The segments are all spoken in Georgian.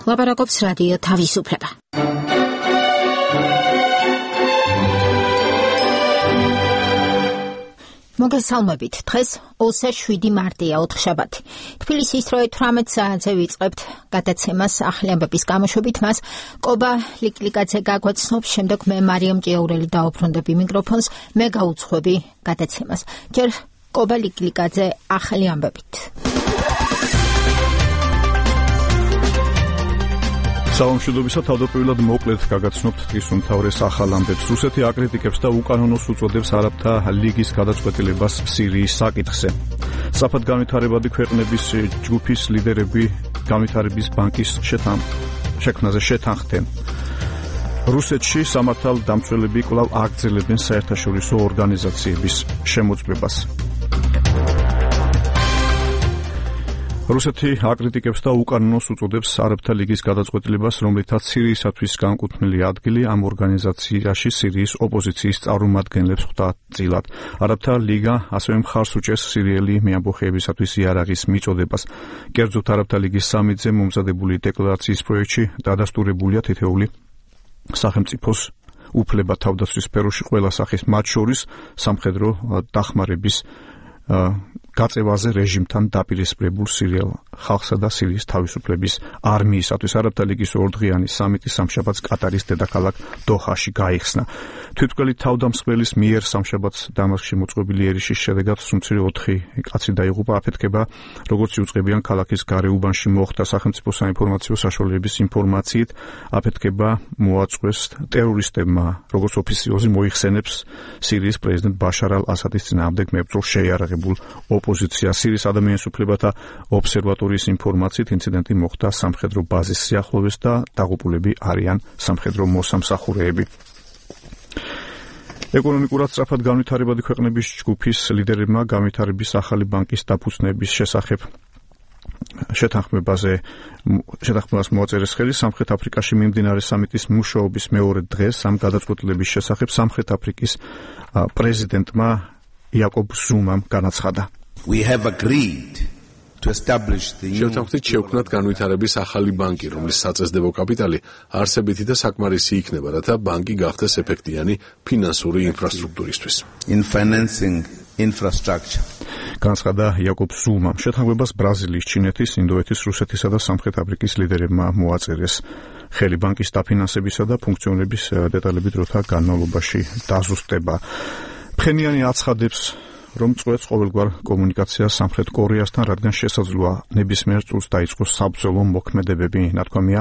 ლაპარაკობს რადიო თავისუფლება. მოგესალმებით. დღეს 27 მარტია, ოთხშაბათი. თბილისის დროით 18 საათზე ვიწყებთ გადაცემას ახალი ამბების გამოშვებით. მას კობა ლიკლიკაძე გაგვაცნობს, შემდეგ მე მარიამ ჭიაურელი დაუბრუნდები მიკროფონს, მე გაუძღვები გადაცემას. ჯერ კობა ლიკლიკაძე ახალი ამბებით. საომშვიდობისა თავდაპირველად მოკლედ გაგაცნობთ დღის უმთავრეს ახალ ამბებს. რუსეთი აკრიტიკებს და უკანონოს უწოდებს არაბთა ლიგის გადაწყვეტილებას სირიის საკითხზე. საფრთხად განვითარებადი ქვეყნების ჯგუფის ლიდერები განვითარების ბანკის შექმნაზე შეთანხმდნენ. რუსეთში სამართალდამცველები კვლავ აგრძელებენ საერთაშორისო ორგანიზაციების შემოწმებას. რუსეთი აკრიტიკებს და უკანონოს უწოდებს არაბთა ლიგის გადაწყვეტილებას, რომლითაც სირიისათვის განკუთვნილი ადგილი ამ ორგანიზაციაში სირიის ოპოზიციის წარმომადგენლებს ხვდა წილად. არაბთა ლიგა ასევე მხარს უჭერს სირიელი მეამბოხეებისათვის იარაღის მიწოდებას. კერძოდ არაბთა ლიგის სამიტზე მომზადებული დეკლარაციის პროექტში დადასტურებულია თითეული სახელმწიფოს უფლება თავდაცვის სფეროში ყველა სახის, მათ შორის სამხედრო დახმარების გაწევაზე რეჟიმთან დაპირისპირებულ სირიელ ხალხსა და სირიის თავისუფლების არმიისათვის. არაბთა ლიგის ორდღიანი სამიტი სამშაბათს კატარის დედაქალაქ დოჰაში გაიხსნა. თვითმკვლელი თავდამსხმელის მიერ სამშაბათს დამასკში მოწყობილი ერიშის შედეგად სუმცირე 4 კაცი დაიღუპა. აფეთქება, როგორც იუწყებიან ქალაქის გარეუბანში მოხდა. სახელმწიფო საინფორმაციო საშუალებების ინფორმაციით, აფეთქება მოაწყვეს ტერორისტებმა, როგორც ოფიციოზი მოიხსენებს სირიის პრეზიდენტ ბაშარ ალ-ასადის წინააღმდეგ მებრძოლ შეიარაღებულ ოპოზიცია. სირიის ადამიანის უფლებათა ობსერვატორიის ინფორმაციით, ინციდენტი მოხდა სამხედრო ბაზის სიახლოვეს და დაღუპულები არიან სამხედრო მოსამსახურეები. ეკონომიკურად სწრაფად განვითარებადი ქვეყნების ჯგუფის ლიდერებმა განვითარების ახალი ბანკის დაფუძნების შესახებ შეთანხმებას მოაწერეს ხელი. სამხრეთ აფრიკაში მიმდინარე სამიტის მუშაობის მეორე დღეს ამ გადაწყვეტილების შესახებ სამხრეთ აფრიკის პრეზიდენტმა იაკობ ზუმამ განაცხადა. შევთანხმდით შევქმნათ განვითარების ახალი ბანკი, რომლის საწესდებო კაპიტალი არსებითი და საკმარისი იქნება, რათა ბანკი გახდეს ეფექტიანი ფინანსური ინფრასტრუქტურისთვის. განაცხადა იაკობ ზუმამ. შეთანხმებას ბრაზილიის, ჩინეთის, ინდოეთის, რუსეთისა და სამხრეთ აფრიკის ლიდერებმა მოაწერეს ხელი. ბანკის დაფინანსებისა და ფუნქციონირების დეტალები დროთა განმავლობაში დაზუსტება. ფხენიანი აცხადებს, რომ წვეთს ყოველგვარ კომუნიკაციას სამხრეთ კორეასთან, რადგან შესაძლოა ნებისმიერ წუთს დაიწყოს საბრძოლო მოქმედებები. ნათქვამია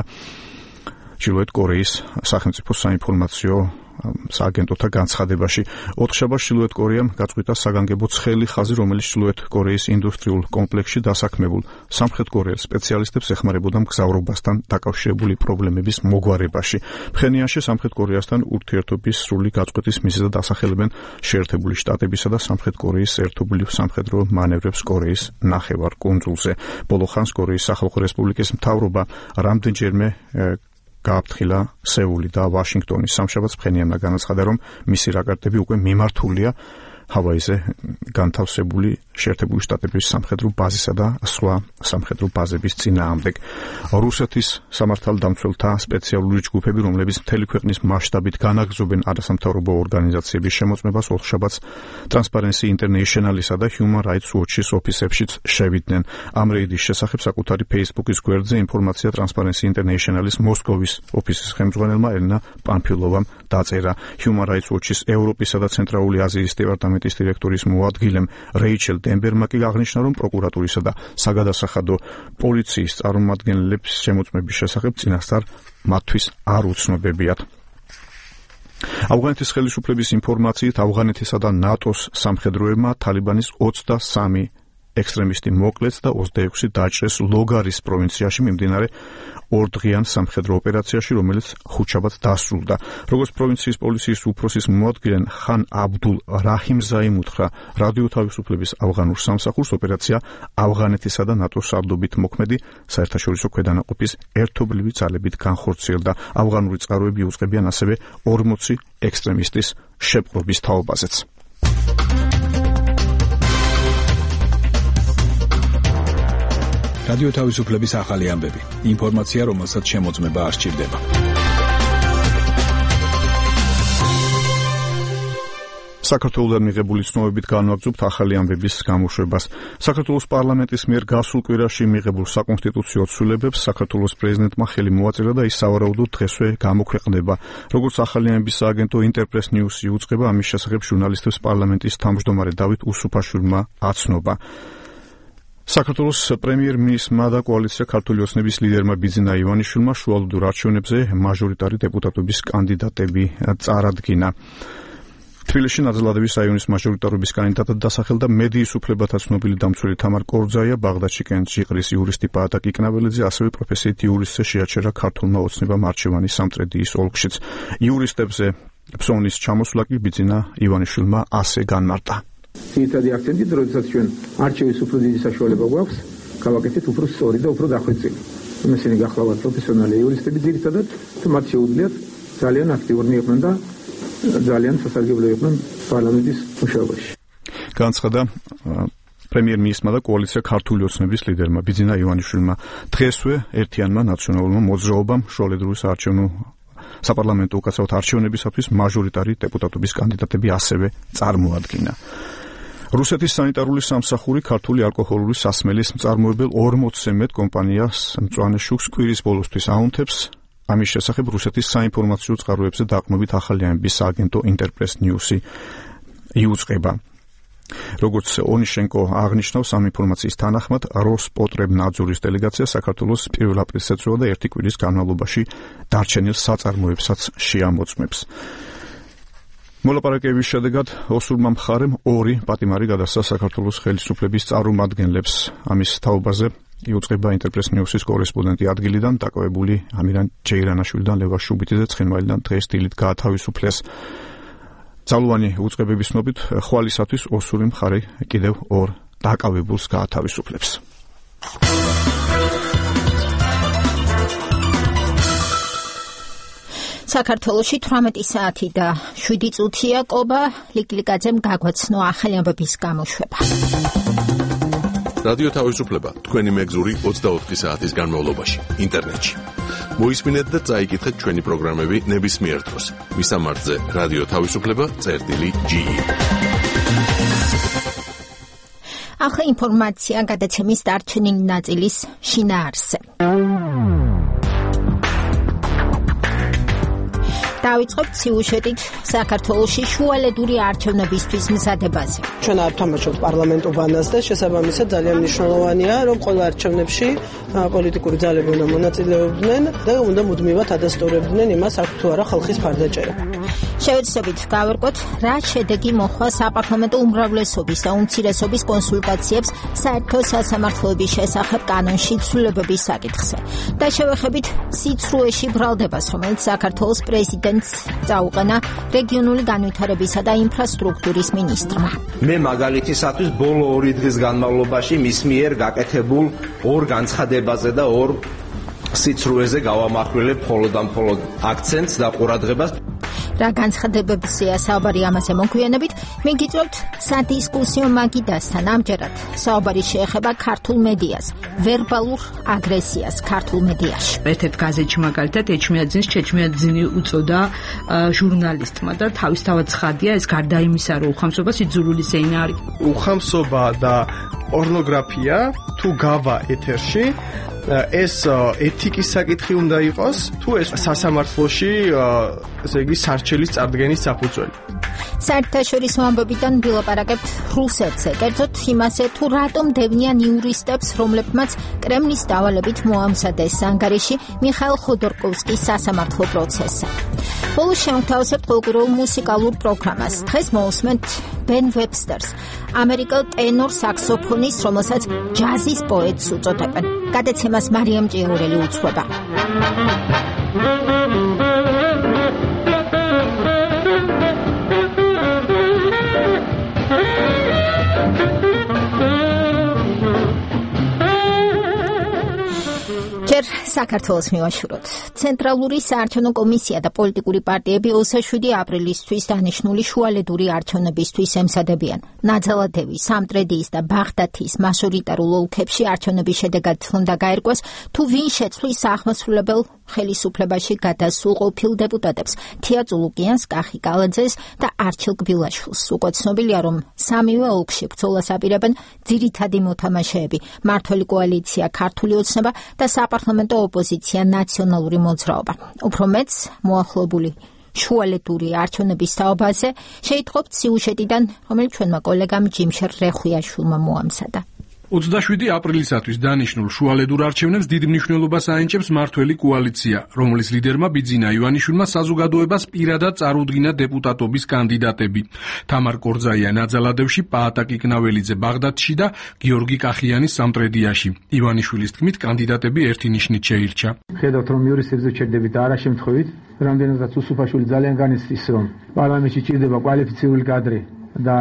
ჩრდილოეთ კორეის სახელმწიფო საინფორმაციო სააგენტოთა განცხადებაში. ოთხშაბათს ჩრდილოეთ კორეამ გაწყვიტა საგანგებო ცხელი ხაზი, რომელიც ჩრდილოეთ კორეის ინდუსტრიულ კომპლექსში დასაქმებულ სამხრეთ კორეელ სპეციალისტებს ეხმარებოდა მგზავრობასთან დაკავშირებული პრობლემების მოგვარებაში. ფხენიანში სამხრეთ კორეასთან ურთიერთობის სრული გაწყვეტის მიზეზად ასახელებენ შეერთებული შტატებისა და სამხრეთ კორეის ერთობლივ სამხედრო მანევრებს კორეის ნახევარკუნძულზე. ბოლო ხანს კორეის სახალხო რესპუბლიკის მთავრობა რამდენჯერმე გააფრთხილა სეული და ვაშინგტონი. სამშაბათს ფხენიანმა განაცხადა, რომ მისი რაკეტები უკვე მიმართულია ჰავაიზე განთავსებული შეერთებული შტატების სამხედრო ბაზისა და სხვა სამხედრო ბაზების წინააღმდეგ. რუსეთის სამართალდამცველთა სპეციალური ჯგუფები, რომლებიც მთელი ქვეყნის მასშტაბით განაგრძობენ არასამთავრობო ორგანიზაციების შემოწმებას, ოთხშაბათს Transparency International-ისა და Human Rights Watch-ის ოფისებშიც შევიდნენ. ამ რეიდის შესახებ საკუთარი Facebook-ის გვერდზე ინფორმაცია Transparency International-ის მოსკოვის ოფისის ხელმძღვანელმა ელენა პანფილოვამ დაწერა. Human Rights Watch-ის ევროპისა და ცენტრალური აზიის დეპარტამენტის დირექტორის მოადგილემ რეიჩელ დენბერმა კი აღნიშნა, რომ პროკურატურისა და საგადასახადო პოლიციის წარმომადგენლებს შემოწმების შესახებ წინასწარ მათთვის არ უცნობებიათ. ავღანეთის ხელისუფლების ინფორმაციით, ავღანეთისა და ნატოს სამხედროებმა თალიბანის 23 ექსტრემისტი მოკლეს და 26 დაჭრეს ლოგარის პროვინციაში მიმდინარე ორდღიან სამხედრო ოპერაციაში, რომელიც ხუთშაბათს დასრულდა. როგორც პროვინციის პოლიციის უფროსის მოადგილე ხან აბდულ რაჰიმზაიმ უთხრა რადიო თავისუფლების ავღანურ სამსახურს, ოპერაცია ავღანეთისა და ნატოს სარდლობით მოქმედი საერთაშორისო ქვედანაყოფის ერთობლივი ძალებით განხორციელდა. ავღანური წყაროები უწყებიან ასევე 40 ექსტრემისტის შეპყრობის თაობაზეც. რადიო თავისუფლების ახალი ამბები. ინფორმაცია, რომელსაც შემოწმება არ სჭირდება. საქართველოსთან მიღებული ცნობებით განვაგრძობთ ახალი ამბების გამოშვებას. საქართველოს პარლამენტის მიერ გასულ კვირაში მიღებულ საკონსტიტუციო ცვლილებებს საქართველოს პრეზიდენტმა ხელი მოაწერა და ის სავარაუდოდ დღესვე გამოქვეყნდება. როგორც ახალი ამბების სააგენტო ინტერპრეს ნიუსი უწყება, ამის შესახებ ჟურნალისტებს პარლამენტის თავმჯდომარე დავით უსუფაშვილმა აცნობა. საქართველოს პრემიერ-მინისტრმა და კოალიცია ქართული ოცნების ლიდერმა ბიძინა ივანიშვილმა შუალოდურ არჩევნებზე მაჟორიტარი დეპუტატობის კანდიდატები წარადგინა. თბილისში ნაძალადევის რაიონის მაჟორიტარობის კანდიდატად დასახელდა მედიის უფლებათა ცნობილი დამცველი თამარ კორძაია, ბაღდადში კენჭიყრის იურისტი პაატაკ იკნაბელიძე, ასევე პროფესიით იურისტზე შეაჩერა ქართულმა ოცნებამ არჩევანი სამტრედიის ოლქშიც. იურისტებზე ფსოვნის ჩამოსვლა კი ბიძინა ივანიშვილმა ასე განმარტა. ძირითადი აქცენტი, როდესაც ჩვენ არჩევის უფრო დიდი საშუალება გვაქვს, გავაკეთეთ უფრო სწორი და უფრო დახვეწილი. ისინი გახლავთ პროფესიონალი იურისტები ძირითადად, მათ შეუძლიათ ძალიან აქტიურნი იყვნენ და ძალიან სასარგებლო იყვნენ პარლამენტის მუშაობაში. განცხადა პრემიერ-მინისტრმა და კოალიცია ქართული ოცნების ლიდერმა ბიძინა ივანიშვილმა. დღესვე ერთიანმა ნაციონალურმა მოძრაობამ შუალედროის არჩევნო საპარლამენტო უკაცრავად არჩევნებისათვის მაჟორიტარი დეპუტატობის კანდიდატები ასევე წარმოადგინა. რუსეთის სანიტარული სამსახური ქართული ალკოჰოლური სასმელის მწარმოებელ 40-ზე მეტ კომპანიას მწვანე შუქს კვირის ბოლოსთვის აუნთებს. ამის შესახებ რუსეთის საინფორმაციო წყაროებზე დაყრდნობით ახალი ამბების სააგენტო ინტერპრეს ნიუსი იუწყება. როგორც ონიშენკო აღნიშნავს, ამ ინფორმაციის თანახმად როსპოტრებნაძორის დელეგაცია საქართველოს 1 აპრილს ეწევა და 1 კვირის განმავლობაში დარჩენილ საწარმოებსაც შეამოწმებს. მოლაპარაკებების შედეგად ოსურმა მხარემ 2 პატიმარი გადასცა საქართველოს ხელისუფლების წარმომადგენლებს. ამის თაობაზე იუწყება ინტერპრეს ნიუსის კორესპონდენტი ადგილიდან დაკავებული ამირან ჯეირანაშვილიდან ლევან შუბიტიძე ცხინვალიდან დღეს დილით გაათავისუფლეს. ძალოვანი უწყებების ცნობით ხვალისათვის ოსური მხარე კიდევ 2 დაკავებულს გაათავისუფლებს. საქართველოში 18 საათი და 7 წუთია ყობა ლიკლიკაძემ გაგვაცნო ახალი ამბების გამოშვება. რადიო თავისუფლება თქვენი მეგზური 24 საათის განმავლობაში ინტერნეტში. მოისმინეთ და წაიკითხეთ ჩვენი პროგრამები ნებისმიერ დროს. მისამართზე რადიო თავისუფლება.ge. ახლა ინფორმაცია გადაცემის დარჩენილი ნაწილის შინაარსზე. დავიწყებთ სიუჟეტით საქართველოში შუალედური არჩევნებისთვის მზადებაზე. ჩვენ არ თამაშობთ პარლამენტო ბანას და შესაბამისად ძალიან მნიშვნელოვანია, რომ ყველა არჩევნებში პოლიტიკური ძალები უნდა მონაწილეობდნენ და უნდა მუდმივად ადასტურებდნენ იმას, აქ თუ არა ხალხის მხარდაჭერა. შევეცდებით გავერკვოთ, რა შედეგი მოხდა საპარლამენტო უმრავლესობის და უმცირესობის კონსულტაციებს საერთო სასამართლოების შესახებ კანონში ცვლილებების საკითხზე. და შევეხებით სიცრუეში ბრალდებას, რომელიც საქართველოს პრეზიდენტს წაუყენა რეგიონული განვითარებისა და ინფრასტრუქტურის მინისტრმა. მე მაგალითისათვის ბოლო 2 დღის განმავლობაში მის მიერ გაკეთებულ 2 განცხადებაზე და 2 სიცრუეზე გავამახვილებ მხოლოდ და მხოლოდ აქცენტს და ყურადღებას. რა განცხადებებზეა საუბარი, ამაზე მოგვიანებით მიგიწევთ სადისკუსიო მაგიდასთან. ამჯერად საუბარი შეეხება ქართულ მედიას, ვერბალურ აგრესიას ქართულ მედიაში. ერთ-ერთ გაზეთში მაგალითად ეჩმიაძინს ჩეჩმიაძინი უწოდა ჟურნალისტმა და თავისთავად ცხადია, ეს გარდა იმისა, რომ უხამსობა სიძულული ზეინა არის. უხამსობა და პორნოგრაფია თუ გავა ეთერში, ეს ეთიკის საკითხი უნდა იყოს, თუ ეს სასამართლოში, ესე იგი, სარჩელის წარდგენის საფუძველი. საერთაშორისო ამბებიდან ვილაპარაკებთ რუსეთზე, კერძოდ იმაზე, თუ რატომ დევნიან იურისტებს, რომლებმაც კრემლის დავალებით მოამზადეს ანგარიში მიხაილ ხოდორკოვსკის სასამართლო პროცესზე. ბოლოს შევთავაზებთ ყოველკვირეულ მუსიკალურ პროგრამას. დღეს მოусმენთ ბენ ვებსტერს, ამერიკელ ტენორ საქსოფონის, რომელსაც ჯაზის პოეტს უწოდებენ. გადაცემას მარიამ ჭიაურელი უძღვება. ჯერ საქართველოს მივაშუროთ. ცენტრალური საარჩევნო კომისია და პოლიტიკური პარტიები 27 აპრილისთვის დანიშნული შუალედური არჩევნებისთვის ემზადებიან. ნაძალადევი, სამტრედიის და ბაღდათის მაჟორიტარულ ოლქებში არჩევნების შედეგად უნდა გაერკვეს, თუ ვინ შეცვლის აღმასრულებელ ხელისუფლებაში გადასულ ყოფილ დეპუტატებს თია წულუკიანს, კახი კალაძეს და არჩილ გბილაშვილს. უკვე ცნობილია, რომ სამივე ოლქში ბრძოლას აპირებენ ძირითადი მოთამაშეები, მმართველი კოალიცია ქართული ოცნება და საპარლამენტო ოპოზიცია ნაციონალური მოძრაობა. უფრო მეც მოახლოებული შუალედური არჩევნების თაობაზე შეიტყობთ სიუჟეტიდან, რომელიც ჩვენმა კოლეგამ ჯიმშერ რეხვიაშვილმა მოამზადა. 27 აპრილისათვის დანიშნულ შუალედურ არჩევნებს დიდ მნიშვნელობას აენჭებს მმართველი კოალიცია, რომლის ლიდერმა ბიძინა ივანიშვილმა საზოგადოებას პირადად წარუდგინა დეპუტატობის კანდიდატები. თამარ კორძაია ნაძალადევში, პაატა კიკნაველიძე ბაღდათში და გიორგი კახიანი სამტრედიაში. ივანიშვილის თქმით, კანდიდატები ერთი ნიშნით შეირჩა. ხედავთ, რომ იურისტებზე ჩერდებით და არა შემთხვევით, რამდენადაც უსუფაშვილი ძალიან განიცდის, რომ პარლამენტში ჭირდება კვალიფიცირებული კადრი და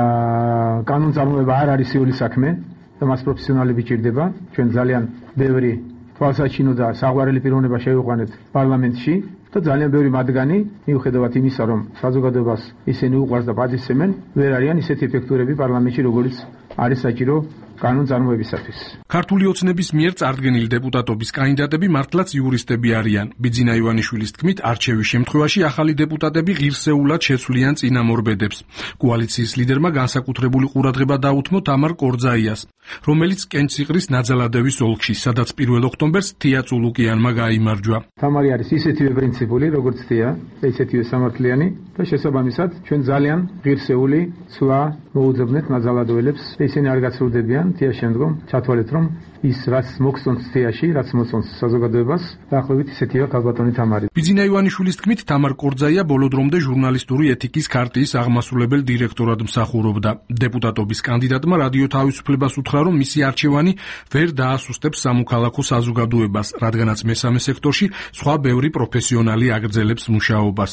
კანონწარმოება არ არის სიული საქმე. და მას პროფესიონალები ჭირდება. ჩვენ ძალიან ბევრი თვალსაჩინო და საყვარელი პიროვნება შევიყვანეთ პარლამენტში და ძალიან ბევრი მათგანი, მიუხედავად იმისა, რომ საზოგადოებას ისინი უყვარს და პატივცემენ, ვერ არიან ისეთი ეფექტურები პარლამენტში, როგორც არის საჭირო კანონწარმოებისათვის. ქართული ოცნების მიერ წარდგენილი დეპუტატობის კანდიდატები მართლაც იურისტები არიან. ბიძინა ივანიშვილის თქმით, არჩევის შემთხვევაში ახალი დეპუტატები ღირსეულად შეცვლიან წინამორბედებს. კოალიციის ლიდერმა განსაკუთრებული ყურადღება დაუთმო თამარ კორძაიას, რომელიც კენციყრის ნაძალადევის ოლქში, სადაც 1 ოქტომბერს თია წულუკიანმა გაიმარჯვა. თამარი არის ისეთივე პრინციპული, როგორც თია, ისეთივე სამართლიანი და შესაბამისად ჩვენ ძალიან ღირსეული ცვლა მოუძებნეთ ნაძალადველებს. ისინი არ გაცრუდებიან თია შემდგომ, ჩათვალეთ, რომ ის რაც მოგწონს თიაში, რაც მოწონს საზოგადოებას, დაახლოებით ისეთია ქალბატონი თამარი. ბიძინა ივანიშვილის თქმით, თამარ კორძაია ბოლო დრომდე ჟურნალისტური ეთიკის ქარტიის აღმასრულებელ დირექტორად მსახურობდა. დეპუტატობის კანდიდატმა რადიო თავისუფლებას უთხრა, რომ მისი არჩევანი ვერ დაასუსტებს სამოქალაქო საზოგადოებას, რადგანაც მესამე სექტორში სხვა ბევრი პროფესიონალი აგრძელებს მუშაობას.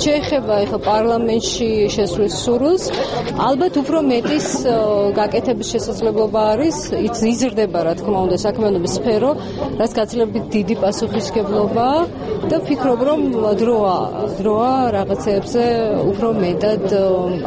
შეეხება ახლა პარლამენტში შესვლის სურვილს, ალბათ უფრო მეტის გაკეთების შესაძლებლობა არის, იზრდება რა თქმა უნდა საქმიანობის სფერო, რაც გაცილებით დიდი პასუხისმგებლობა და ვფიქრობ, რომ დროა რაღაცეებზე უფრო მეტად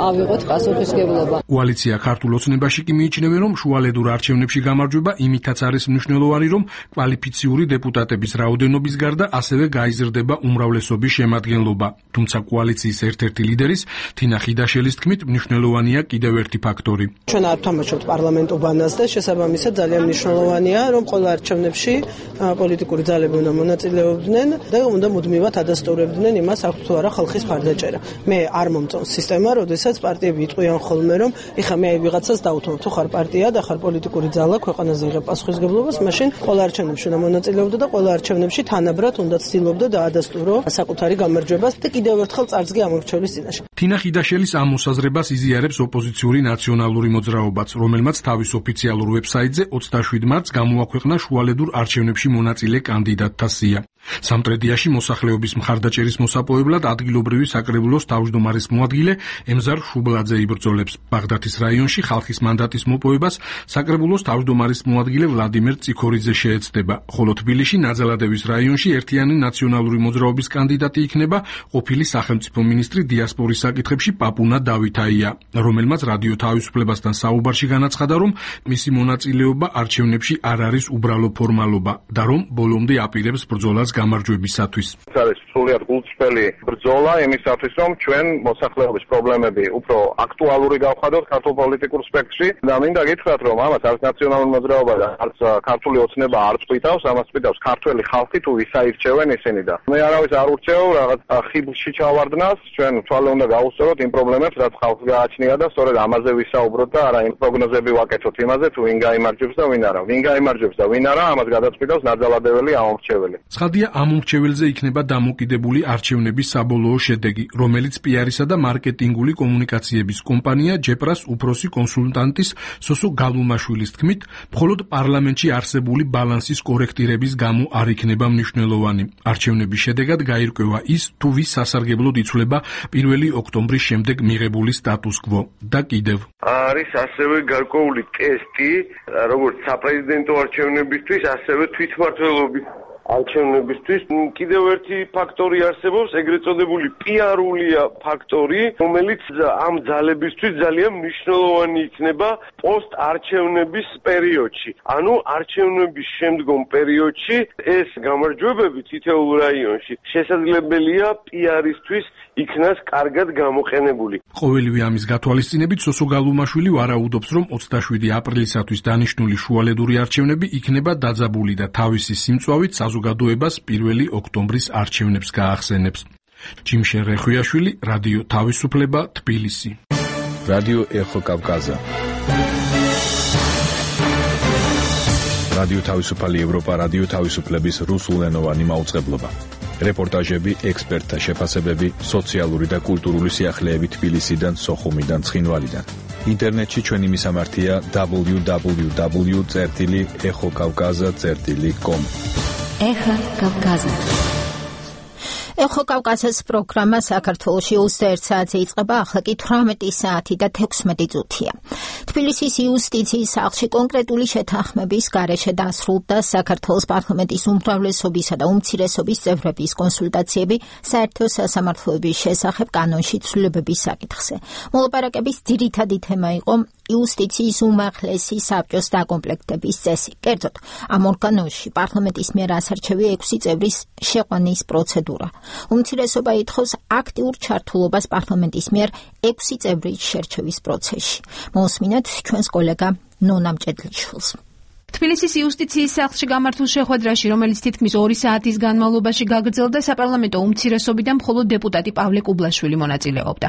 ავიღოთ პასუხისმგებლობა. კოალიცია ქართულ ოცნებაში კი მიიჩნევენ, რომ შუალედურ არჩევნებში გამარჯვება იმითაც არის მნიშვნელოვანი, რომ კვალიფიციური დეპუტატების რაოდენობის გარდა ასევე გაიზრდება უმრავლესობის შემადგენლობა. თუმცა კოალიციის ერთ-ერთი ლიდერის თინა ხიდაშელის თქმით, მნიშვნელოვანია კიდევ ერთი ფაქტორი. ჩვენ არ ვთამაშობთ პარლამენტურ ბანას და შესაბამისად ძალიან მნიშვნელოვანია, რომ ყველა არჩევნებში პოლიტიკური ძალები უნდა მონაწილეობდნენ და უნდა მუდმივად ადასტურებდნენ იმას, აქვს თუ არა ხალხის მხარდაჭერა. მე არ მომწონს სისტემა, როდესაც პარტიები იტყვიან ხოლმე, რომ ეხა მე ვიღაცას დავუთმობ, თუ ხარ პარტია და ხარ პოლიტიკური ძალა, ქვეყანაზე იღებ პასუხისმგებლობას, მაშინ ყველა არჩევნებში უნდა მონაწილეობდა და ყველა არჩევნებში თანაბრად უნდა ცდილობდა და ადასტურო საკუთარი გამარჯვებას და კიდევ ერთხელ წარსდგე ამორჩევლის წინაშე. თინა ხიდაშელის ამ მოსაზრებას იზიარებს ოპოზიციური ნაციონალური მოძრაობაც, რომელმაც თავის ოფიციალურ ვებსაიტზე 27 მარტს გამოაქვეყნა შუალედურ არჩევნებში მონაწილე კანდიდატთა სია. სამტრედიაში მოსახლეობის მხარდაჭერის მოსაპოვებლად ადგილობრივი საკრებულოს თავმჯდომარის მოადგილე ემზარ შუბლაძე იბრძოლებს. ბაღდათის რაიონში ხალხის მანდატის მოპოვებას საკრებულოს თავმჯდომარის მოადგილე ვლადიმერ წიქორიძე შეეცდება, ხოლო თბილისში ნაძალადევის რაიონში ერთიანი ნაციონალური მოძრაობის კანდიდატი იქნება ყოფილი სახელმწიფო მინისტრი დიასპორის საკითხებში პაპუნა დავითაია, რომელმაც რადიო თავისუფლებასთან საუბარში განაცხადა, რომ მისი მონაწილეობა არჩევნებში არ არის უბრალო ფორმალობა და რომ ბოლომდე აპირებს ბრძოლას გამარჯვებისათვის. არის სრულიად გულწრფელი ბრძოლა იმისათვის, რომ ჩვენ მოსახლეობის პრობლემები უფრო აქტუალური გავხადოთ ქართულ პოლიტიკურ სპექტრში და მინდა გითხრათ, რომ ამას არც ნაციონალური მოძრაობა და არც ქართული ოცნება არ წვითავს, ამას წვითავს ქართველი ხალხი, თუ ვისაირჩევენ ისინი და მე არავის არ ურჩევ რაღაც ხიბლში ჩავარდნას, ჩვენ თვალე უნდა გაუსწოროთ იმ პრობლემებს, რაც ხალხს გააჩნია და სწორედ ამაზე ვისაუბროთ და არა იმ პროგნოზები ვაკეთოთ იმაზე, თუ ვინ გაიმარჯვებს და ვინ არა. ვინ გაიმარჯვებს და ვინ არა, ამას გადაწყვიტავს ნაძალადეველი ამომრჩეველი. ცხადია, ამომრჩეველზე იქნება დამოკიდებული არჩევნების საბოლოო შედეგი, რომელიც პიარისა და მარკეტინგული კომუნიკაციების კომპანია ჯეპრას უფროსი კონსულტანტის სოსო გალუმაშვილის თქმით, მხოლოდ პარლამენტში არსებული ბალანსის კორექტირების გამო არ იქნება მნიშვნელოვანი. არჩევნების შედეგად გაირკვევა ის, თუ ვის სასარგებლოდ იცვლება 1 ოქტომბრის შემდეგ მიღებული სტატუს-კვო და კიდევ არის ასევე გარკვეული ტესტი, როგორც საპრეზიდენტო არჩევნებისთვის, ასევე თვითმმართველობის არჩევნებისთვის. კიდევ ერთი ფაქტორი არსებობს, ეგრეთ წოდებული პიარულია ფაქტორი, რომელიც ამ ძალებისთვის ძალიან მნიშვნელოვანი იქნება პოსტ-არჩევნების პერიოდში. ანუ არჩევნების შემდგომ პერიოდში ეს გამარჯვებები თითოეულ რაიონში შესაძლებელია პიარისთვის იქნას კარგად გამოყენებული. ყოველივე ამის გათვალისწინებით სოსო გალუმაშვილი ვარაუდობს, რომ 27 აპრილისათვის დანიშნული შუალედური არჩევნები იქნება დაძაბული და თავისი სიმწვავით საზოგადოებას 1 ოქტომბრის არჩევნებს გაახსენებს. ჯიმშენ რეხვიაშვილი, რადიო თავისუფლება, თბილისი. რადიო ეხო კავკაზა. რადიო თავისუფალი ევროპა, რადიო თავისუფლების რუსულენოვანი მაუწყებლობა. რეპორტაჟები, ექსპერტთა შეფასებები, სოციალური და კულტურული სიახლეები თბილისიდან, სოხუმიდან, ცხინვალიდან. ინტერნეტში ჩვენი მისამართია www.exokavkaza.com. ეხა კავკაზა. ეხო კავკაზას პროგრამა საქართველოში 21 საათზე იწყება, ახლა კი 18 საათი და 16 წუთია. თბილისის იუსტიციის სახლში კონკრეტული შეთანხმების გარეშე დასრულდა საქართველოს პარლამენტის უმრავლესობისა და უმცირესობის წევრების კონსულტაციები საერთო სასამართლოების შესახებ კანონში ცვლილებების საკითხზე. მოლაპარაკების ძირითადი თემა იყო იუსტიციის უმაღლესი საბჭოს დაკომპლექტების წესი. კერძოდ, ამ ორგანოში პარლამენტის მიერ ასარჩევი 6 წევრის შეყვანის პროცედურა. უმცირესობა ითხოვს აქტიურ ჩართულობას პარლამენტის მიერ 6 წევრის შერჩევის პროცესში. მოусმინოთ ჩვენს კოლეგა ნონა მჭედლიშვილს. თბილისის იუსტიციის სახლში გამართულ შეხვედრაში, რომელიც თითქმის 2 საათის განმავლობაში გაგრძელდა, საპარლამენტო უმცირესობიდან მხოლოდ დეპუტატი პავლე კუბლაშვილი მონაწილეობდა.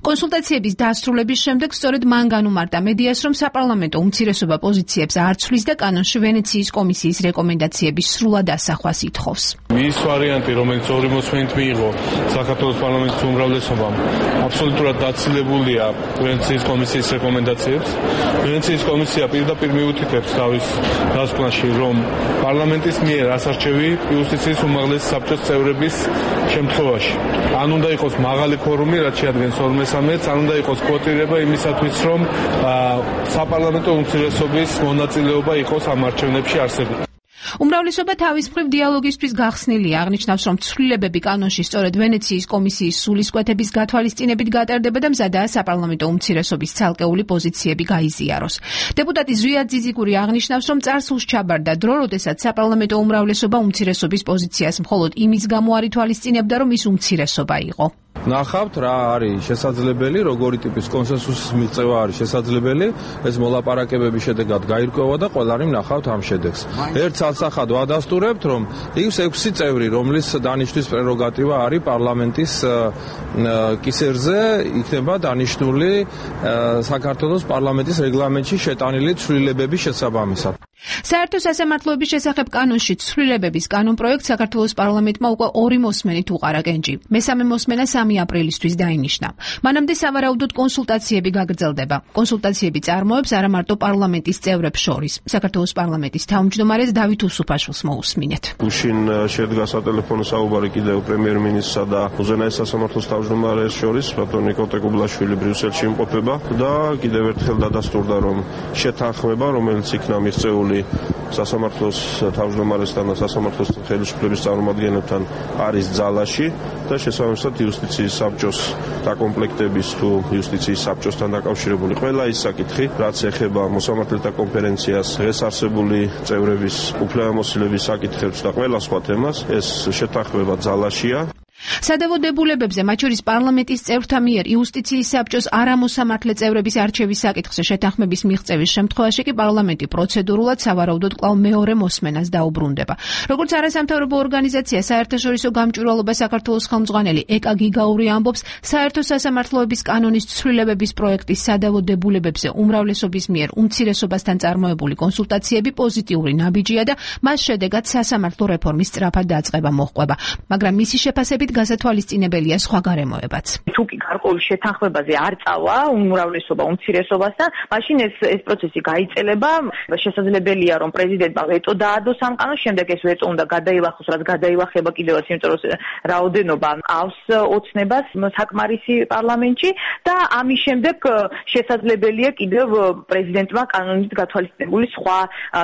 კონსულტაციების დასრულების შემდეგ სწორედ მან განუმარტა მედიას, რომ საპარლამენტო უმცირესობა პოზიციებს არ ცვლის და კანონში ვენეციის კომისიის რეკომენდაციების სრულად ასახვას ითხოვს. მის ვარიანტი, რომელიც 2 მოსმენით მიიღო საქართველოს პარლამენტის უმრავლესობამ, აბსოლუტურად დაცილებულია ვენეციის კომისიის რეკომენდაციებს. ვენეციის კომისია პირდაპირ მიუთითებს თავის დასკვნაში, რომ პარლამენტის მიერ ასარჩევი იუსტიციის უმაღლესი საბჭოს წევრების შემთხვევაში ან უნდა იყოს მაღალი ფორუმი, რაც შეადგენს 2/3, ან უნდა იყოს კვოტირება იმისათვის, რომ საპარლამენტო უმცირესობის მონაწილეობა იყოს ამ არჩევნებში არსებული. უმრავლესობა თავის მხრივ დიალოგისთვის გახსნილია, აღნიშნავს, რომ ცვლილებები კანონში სწორედ ვენეციის კომისიის სულისკვეთების გათვალისწინებით გატარდება და მზადაა საპარლამენტო უმცირესობის ცალკეული პოზიციები გაიზიაროს. დეპუტატი ზვიად ძიძიგური აღნიშნავს, რომ წარსულს ჩაბარდა დრო, როდესაც საპარლამენტო უმრავლესობა უმცირესობის პოზიციას მხოლოდ იმის გამო არ ითვალისწინებდა, რომ ის უმცირესობა იყო. ნახავთ რა არის შესაძლებელი, როგორი ტიპის კონსენსუსის მიღწევა არის შესაძლებელი, ეს მოლაპარაკებების შედეგად გაირკვევა და ყველანი ნახავთ ამ შედეგს. ერთ სალსახად ვადასტურებთ, რომ ის 6 წევრი, რომლის დანიშნვის პრეროგატივა არის პარლამენტის კისერზე, იქნება დანიშნული საქართველოს პარლამენტის რეგლამენტში შეტანილი ცვლილებების შესაბამისად. საერთო სასამართლოების შესახებ კანონში ცვლილებების კანონპროექტს საქართველოს პარლამენტმა უკვე 2 მოსმენით უყარა კენჭი. მესამე მოსმენა 3 აპრილისთვის დაინიშნა. მანამდე სავარაუდოდ კონსულტაციები გაგრძელდება. კონსულტაციები წარმოებს არა მარტო პარლამენტის წევრებს შორის. საქართველოს პარლამენტის თავმჯდომარეს დავით უსუფაშვილს მოусმინეთ. გუშინ შედგა სატელეფონო საუბარი კიდევ პრემიერ-მინისტრსა და უზენაეს სასამართლოს თავმჯდომარეს შორის, ბატონ ნიკოლე კუბლაშვილი ბრიუსელში იმყოფება და კიდევ ერთხელ დადასტურდა, რომ შეთანხმება, რომელიც იქნა მიღწეული სასამართლოს თავმჯდომარესთან და სასამართლოს ხელისუფლების წარმომადგენლებთან არის ძალაში და შესაბამისად იუსტიციის საბჭოს დაკომპლექტების თუ იუსტიციის საბჭოსთან დაკავშირებული ყველა ის საკითხი, რაც ეხება მოსამართლეთა კონფერენციას, დღეს არსებული წევრების უფლებამოსილების საკითხებს და ყველა სხვა თემას, ეს შეთანხმება ძალაშია. სადავო დებულებებზე, მათ შორის პარლამენტის წევრთა მიერ იუსტიციის საბჭოს არამოსამართლე წევრების არჩევის საკითხზე შეთანხმების მიღწევის შემთხვევაში კი პარლამენტი პროცედურულად სავარაუდოდ კვლავ მეორე მოსმენას დაუბრუნდება. როგორც არასამთავრობო ორგანიზაცია საერთაშორისო გამჭვირვალობა საქართველოს ხელმძღვანელი ეკა გიგაური ამბობს, საერთო სასამართლოების კანონის ცვლილებების პროექტის სადავო დებულებებზე უმრავლესობის მიერ უმცირესობასთან წარმოებული კონსულტაციები პოზიტიური ნაბიჯია და მას შედეგად სასამართლო რეფორმის სწრაფად დაწყება მოჰყვება. მაგრამ მისი შეფასებით გასათვალისწინებელია სხვა გარემოებაც. თუ კი გარკვეულ შეთანხმებაზე არ წავა უმრავლესობა უმცირესობასთან, მაშინ ეს პროცესი გაიწელება. შესაძლებელია რომ პრეზიდენტმა ვეტო დაადოს ამ კანონს, შემდეგ ეს ვეტო უნდა გადაილახოს, რაც გადაილახება კიდევაც, იმიტომ რომ რაოდენობა ყავს ოცნებას საკმარისი პარლამენტში და ამის შემდეგ შესაძლებელია კიდევ პრეზიდენტმა კანონით გათვალისწინებული სხვა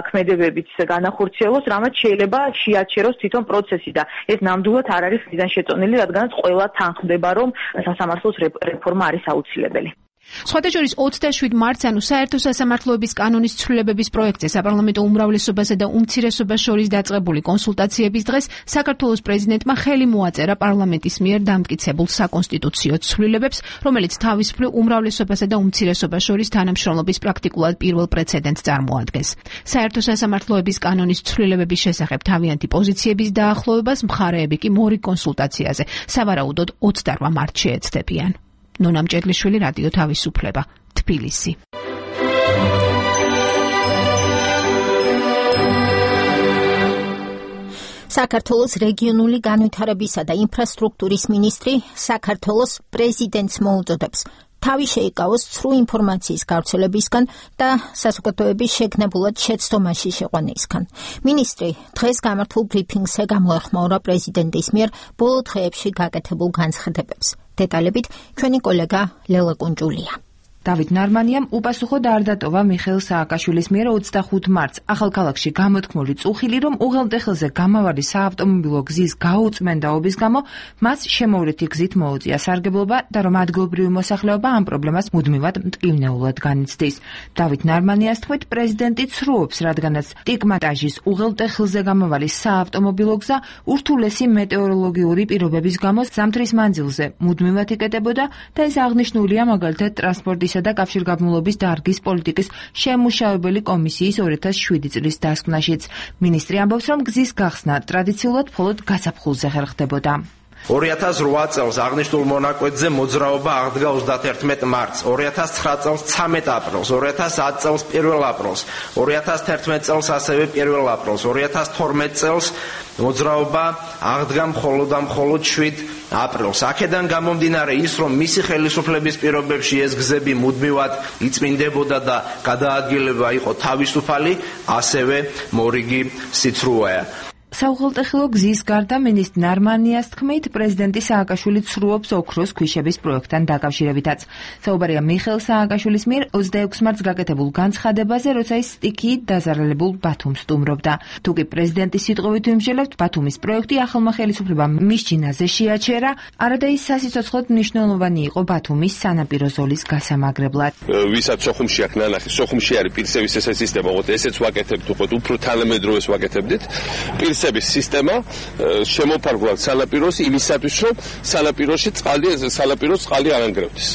ქმედებებიც განახორციელოს, რამაც შეიძლება შეაჩეროს თვითონ პროცესი და ეს ნამდვილად არ არის ხიდან შეწონილი, რადგანაც ყველა თანხმდება, რომ სასამართლოს რეფორმა არის აუცილებელი. სხვათა შორის 27 მარტს, ანუ საერთო სასამართლოების კანონის ცვლილებების პროექტზე საპარლამენტო უმრავლესობასა და უმცირესობას შორის დაწყებული კონსულტაციების დღეს საქართველოს პრეზიდენტმა ხელი მოაწერა პარლამენტის მიერ დამტკიცებულ საკონსტიტუციო ცვლილებებს, რომელიც თავის მხრივ უმრავლესობასა და უმცირესობას შორის თანამშრომლობის პრაქტიკულად პირველ პრეცედენტს წარმოადგენს. საერთო სასამართლოების კანონის ცვლილებების შესახებ თავიანთი პოზიციების დაახლოებას მხარეები კი მორიგ კონსულტაციაზე სავარაუდოდ 28 მარტს შეეცდებიან. ნონა მჭედლიშვილი, რადიო თავისუფლება, თბილისი. საქართველოს რეგიონული განვითარებისა და ინფრასტრუქტურის მინისტრი საქართველოს პრეზიდენტს მოუწოდებს თავი შეიკავოს ცრუ ინფორმაციის გავრცელებისგან და საზოგადოების შეგნებულად შეცდომაში შეყვანისგან. მინისტრი დღეს გამართულ ბრიფინგზე გამოეხმაურა პრეზიდენტის მიერ ბოლო დღეებში გაკეთებულ განცხადებებს. დეტალებით ჩვენი კოლეგა ლელა კუნჭულია. დავით ნარმანიამ უპასუხოდ არ დატოვა მიხეილ სააკაშვილის მიერ 25 მარტს ახალქალაქში გამოთქმული წუხილი, რომ უღელტეხილზე გამავალი საავტომობილო გზის გაუწმენდაობის გამო მას შემოვლითი გზით მოუწია სარგებლობა და რომ ადგილობრივი მოსახლეობა ამ პრობლემას მუდმივად მტკივნეულად განიცდის. დავით ნარმანიას თქმით, პრეზიდენტი ცრუობს, რადგანაც ტიკმატაჟის უღელტეხილზე გამავალი საავტომობილო გზა ურთულესი მეტეოროლოგიური პირობების გამო ზამთრის მანძილზე მუდმივად იკეტებოდა და ეს აღნიშნულია მაგალითად ტრანსპორტის და კავშირგაბმულობის დარგის პოლიტიკის შემმუშავებელი კომისიის 2007 წლის დასკვნაშიც. მინისტრი ამბობს, რომ გზის გახსნა ტრადიციულად მხოლოდ გაზაფხულზე ხერხდებოდა. 2008 წელს აღნიშნულ მონაკვეთზე მოძრაობა აღდგა 31 მარტს, 2009 წელს 13 აპრილს, 2010 წელს 1 აპრილს, 2011 წელს ასევე 1 აპრილს, 2012 წელს მოძრაობა აღდგა მხოლოდ 7 აპრილს. აქედან გამომდინარე ის, რომ მისი ხელისუფლების პირობებში ეს გზები მუდმივად იწმინდებოდა და გადაადგილება იყო თავისუფალი, ასევე მორიგი სიცრუეა. საუღელტეხილო გზის გარდა მინისტრი ნარმანიას თქმით, პრეზიდენტი სააკაშვილი ცრუობს ოქროს ქვიშების პროექტთან დაკავშირებითაც. საუბარია მიხეილ სააკაშვილის მიერ 26 მარტს გაკეთებულ განცხადებაზე, როცა ის სტიქიით დაზარალებულ ბათუმს სტუმრობდა. თუკი პრეზიდენტის სიტყვით ვიმსჯელებთ, ბათუმის პროექტი ახალმა ხელისუფლებამ მისჯინაზე შეაჩერა, არადა ის სასიცოცხლოდ მნიშვნელოვანი იყო ბათუმის სანაპირო ზოლის გასამაგრებლად. ვისაც სოხუმში აქ ნანახი, სოხუმში არის პირსების ეს სისტემა, უყოთ ესეც ვაკეთებთ, უყოთ უფრო თანამედროვეს ვაკეთებდით. პირსების სისტემა შემოფარგლავთ სანაპიროს იმისათვის, რომ სანაპიროს წყალი არ ანგრევდეს.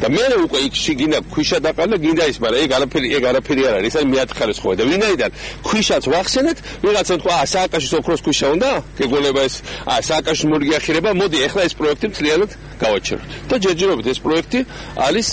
და მე უკვე იქ შეგინა ქვიშა დაყალე გინდა ის, მაგრამ ეგ არაფერი არ არის, ეს მეათქარეს ხოვე და ვინაიდან ქვიშაც ვახსენეთ, ვიღაცამ თქვა, სააკაშის ოქროს ქვიშა უნდა, გეგონება ეს, სააკაშის მორიგი ახირება, მოდი ახლა ეს პროექტი მთლიანად გავაჩეროთ. და ჯერჯერობით ეს პროექტი არის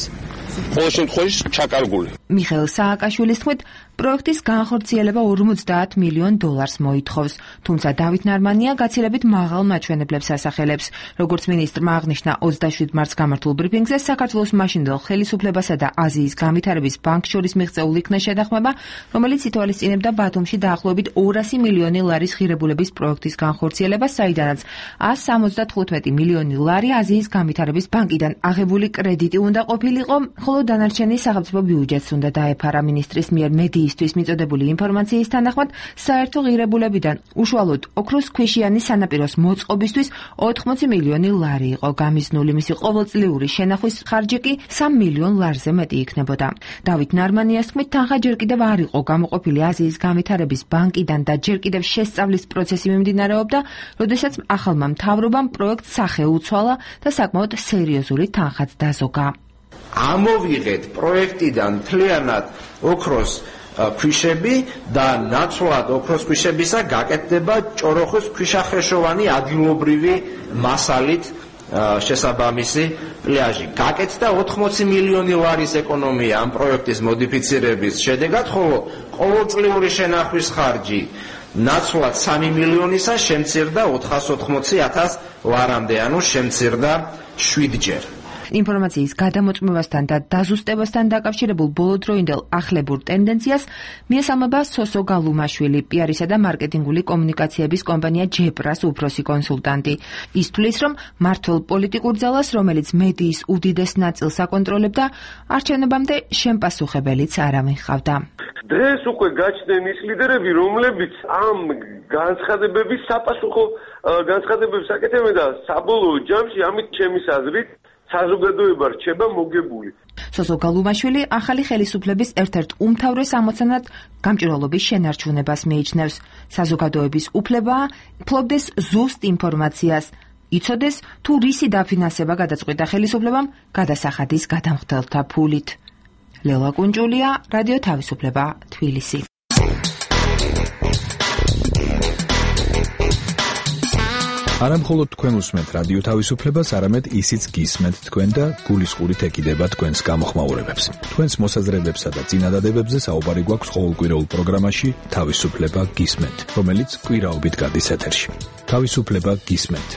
ყოველ შემთხვევაში ჩაკარგული. მიხეილ სააკაშვილის თქმით, პროექტის განხორციელება 50 მილიონ დოლარს მოითხოვს, თუმცა დავით ნარმანია გაცილებით მაღალ მაჩვენებლებს ასახელებს. როგორც მინისტრმა აღნიშნა 27 მარტს გამართულ ბრიფინგზე, საქართველოს მაშინდელ ხელისუფლებასა და აზიის განვითარების ბანკს შორის მიღწეულ იქნა შეთანხმება, რომელიც ითვალისწინებდა ბათუმში დაახლოებით 200 მილიონი ლარის ღირებულების პროექტის განხორციელებას, საიდანაც 175 მილიონი ლარი აზიის განვითარების ბანკიდან აღებული კრედიტი უნდა ყოფილიყო, ხოლო დანარჩენი სახელმწიფო ბიუჯეტს უნდა დაეფარა. მინისტრის მიერ მედიისთვის მიწოდებული ინფორმაციის თანახმად, საერთო ღირებულებიდან უშუალოდ ოქროს ქვიშიანი სანაპიროს მოწყობისთვის 80 მილიონი ლარი იყო გამიზნული, მისი ყოველწლიური შენახვის ხარჯი კი 3 მილიონ ლარზე მეტი იქნებოდა. დავით ნარმანიას თქმით, თანხა ჯერ კიდევ არ იყო გამოყოფილი აზიის განვითარების ბანკიდან და ჯერ კიდევ შესწავლის პროცესი მიმდინარეობდა, როდესაც ახალმა მთავრობამ პროექტს სახე უცვალა და საკმაოდ სერიოზული თანხაც დაზოგა. ამოვიღეთ პროექტიდან მთლიანად ოქროს ქვიშები და ნაცვლად ოქროს ქვიშებისა გაკეთდება ჭოროხის ქვიშახრეშოვანი ადგილობრივი მასალით შესაბამისი პლაჟი. გაკეთდა 80 მილიონი ლარის ეკონომია ამ პროექტის მოდიფიცირების შედეგად, ხოლო ყოველწლიური შენახვის ხარჯი ნაცვლად 3 მილიონისა შემცირდა 480.000 ლარამდე, ანუ შემცირდა 7-ჯერ. ინფორმაციის გადამოწმებასთან და დაზუსტებასთან დაკავშირებულ ბოლოდროინდელ ახლებურ ტენდენციას მიესალმება სოსო გალუმაშვილი, პიარისა და მარკეტინგული კომუნიკაციების კომპანია ჯებრას უფროსი კონსულტანტი. ის თვლის, რომ მართლ პოლიტიკურ ძალას, რომელიც მედიის უდიდეს ნაწილს აკონტროლებდა, არჩევნებამდე შემპასუხებელიც არავინ ჰყავდა. დღეს უკვე გაჩნდნენ ის ლიდერები, რომლებიც ამ განცხადებების საპასუხო განცხადებებს აკეთებენ და საბოლოო ჯამში ამით ჩემის აზრით საზოგადოება რჩება მოგებული. სოსო გალუმაშვილი ახალი ხელისუფლების ერთ-ერთ უმთავრეს ამოცანად გამჭვირვალობის შენარჩუნებას მიიჩნევს. საზოგადოების უფლებაა ფლობდეს ზუსტ ინფორმაციას, იცოდეს თუ რისი დაფინანსება გადაწყვიტა ხელისუფლებამ გადასახადის გადამხდელთა ფულით. ლელა კუნჯულია, რადიო თავისუფლება, თბილისი. არა მხოლოდ თქვენ უსმენთ რადიო თავისუფლებას, არამედ ისიც გისმენთ თქვენ და გულისყურით ეკიდება თქვენს გამოხმაურებებს. თქვენს მოსაზრებებსა და წინადადებებზე საუბარი გვაქვს ყოველკვირეულ პროგრამაში თავისუფლება გისმენთ, რომელიც კვირაობით გადის ეთერში. თავისუფლება გისმენთ.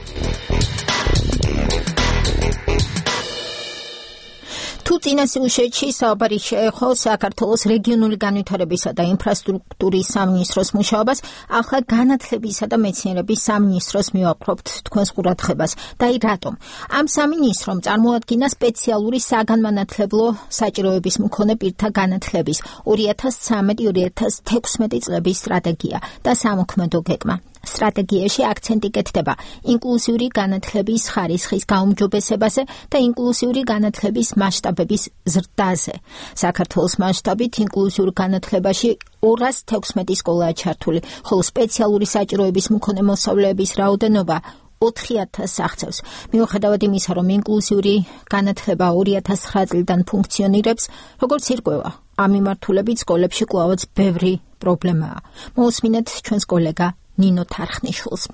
თუ წინა სიუჟეტში საუბარი შეეხო საქართველოს რეგიონული განვითარებისა და ინფრასტრუქტურის სამინისტროს მუშაობას, ახლა განათლებისა და მეცნიერების სამინისტროს მივაყრობთ თქვენს ყურადღებას. და რატომ? ამ სამინისტრომ წარმოადგინა სპეციალური საგანმანათლებლო საჭიროების მქონე პირთა განათლების 2013-2016 წლების სტრატეგია და სამოქმედო გეგმა. სტრატეგიაში აქცენტი კეთდება ინკლუზიური განათლების ხარისხის გაუმჯობესებაზე და ინკლუზიური განათლების მასშტაბების ზრდაზე. საქართველოს მასშტაბით ინკლუზიურ განათლებაში 216 სკოლაა ჩართული, ხოლო სპეციალური საჭიროების მქონე მოსწავლეების რაოდენობა 4000-ს აღწევს. მიუხედავად იმისა, რომ ინკლუზიური განათლება 2009 წლიდან ფუნქციონირებს, როგორც ირკვევა, ამ მიმართულებით სკოლებში კვლავაც ბევრი პრობლემაა. მოусმინეთ ჩვენს კოლეგა ნინო თარხნიშვილს.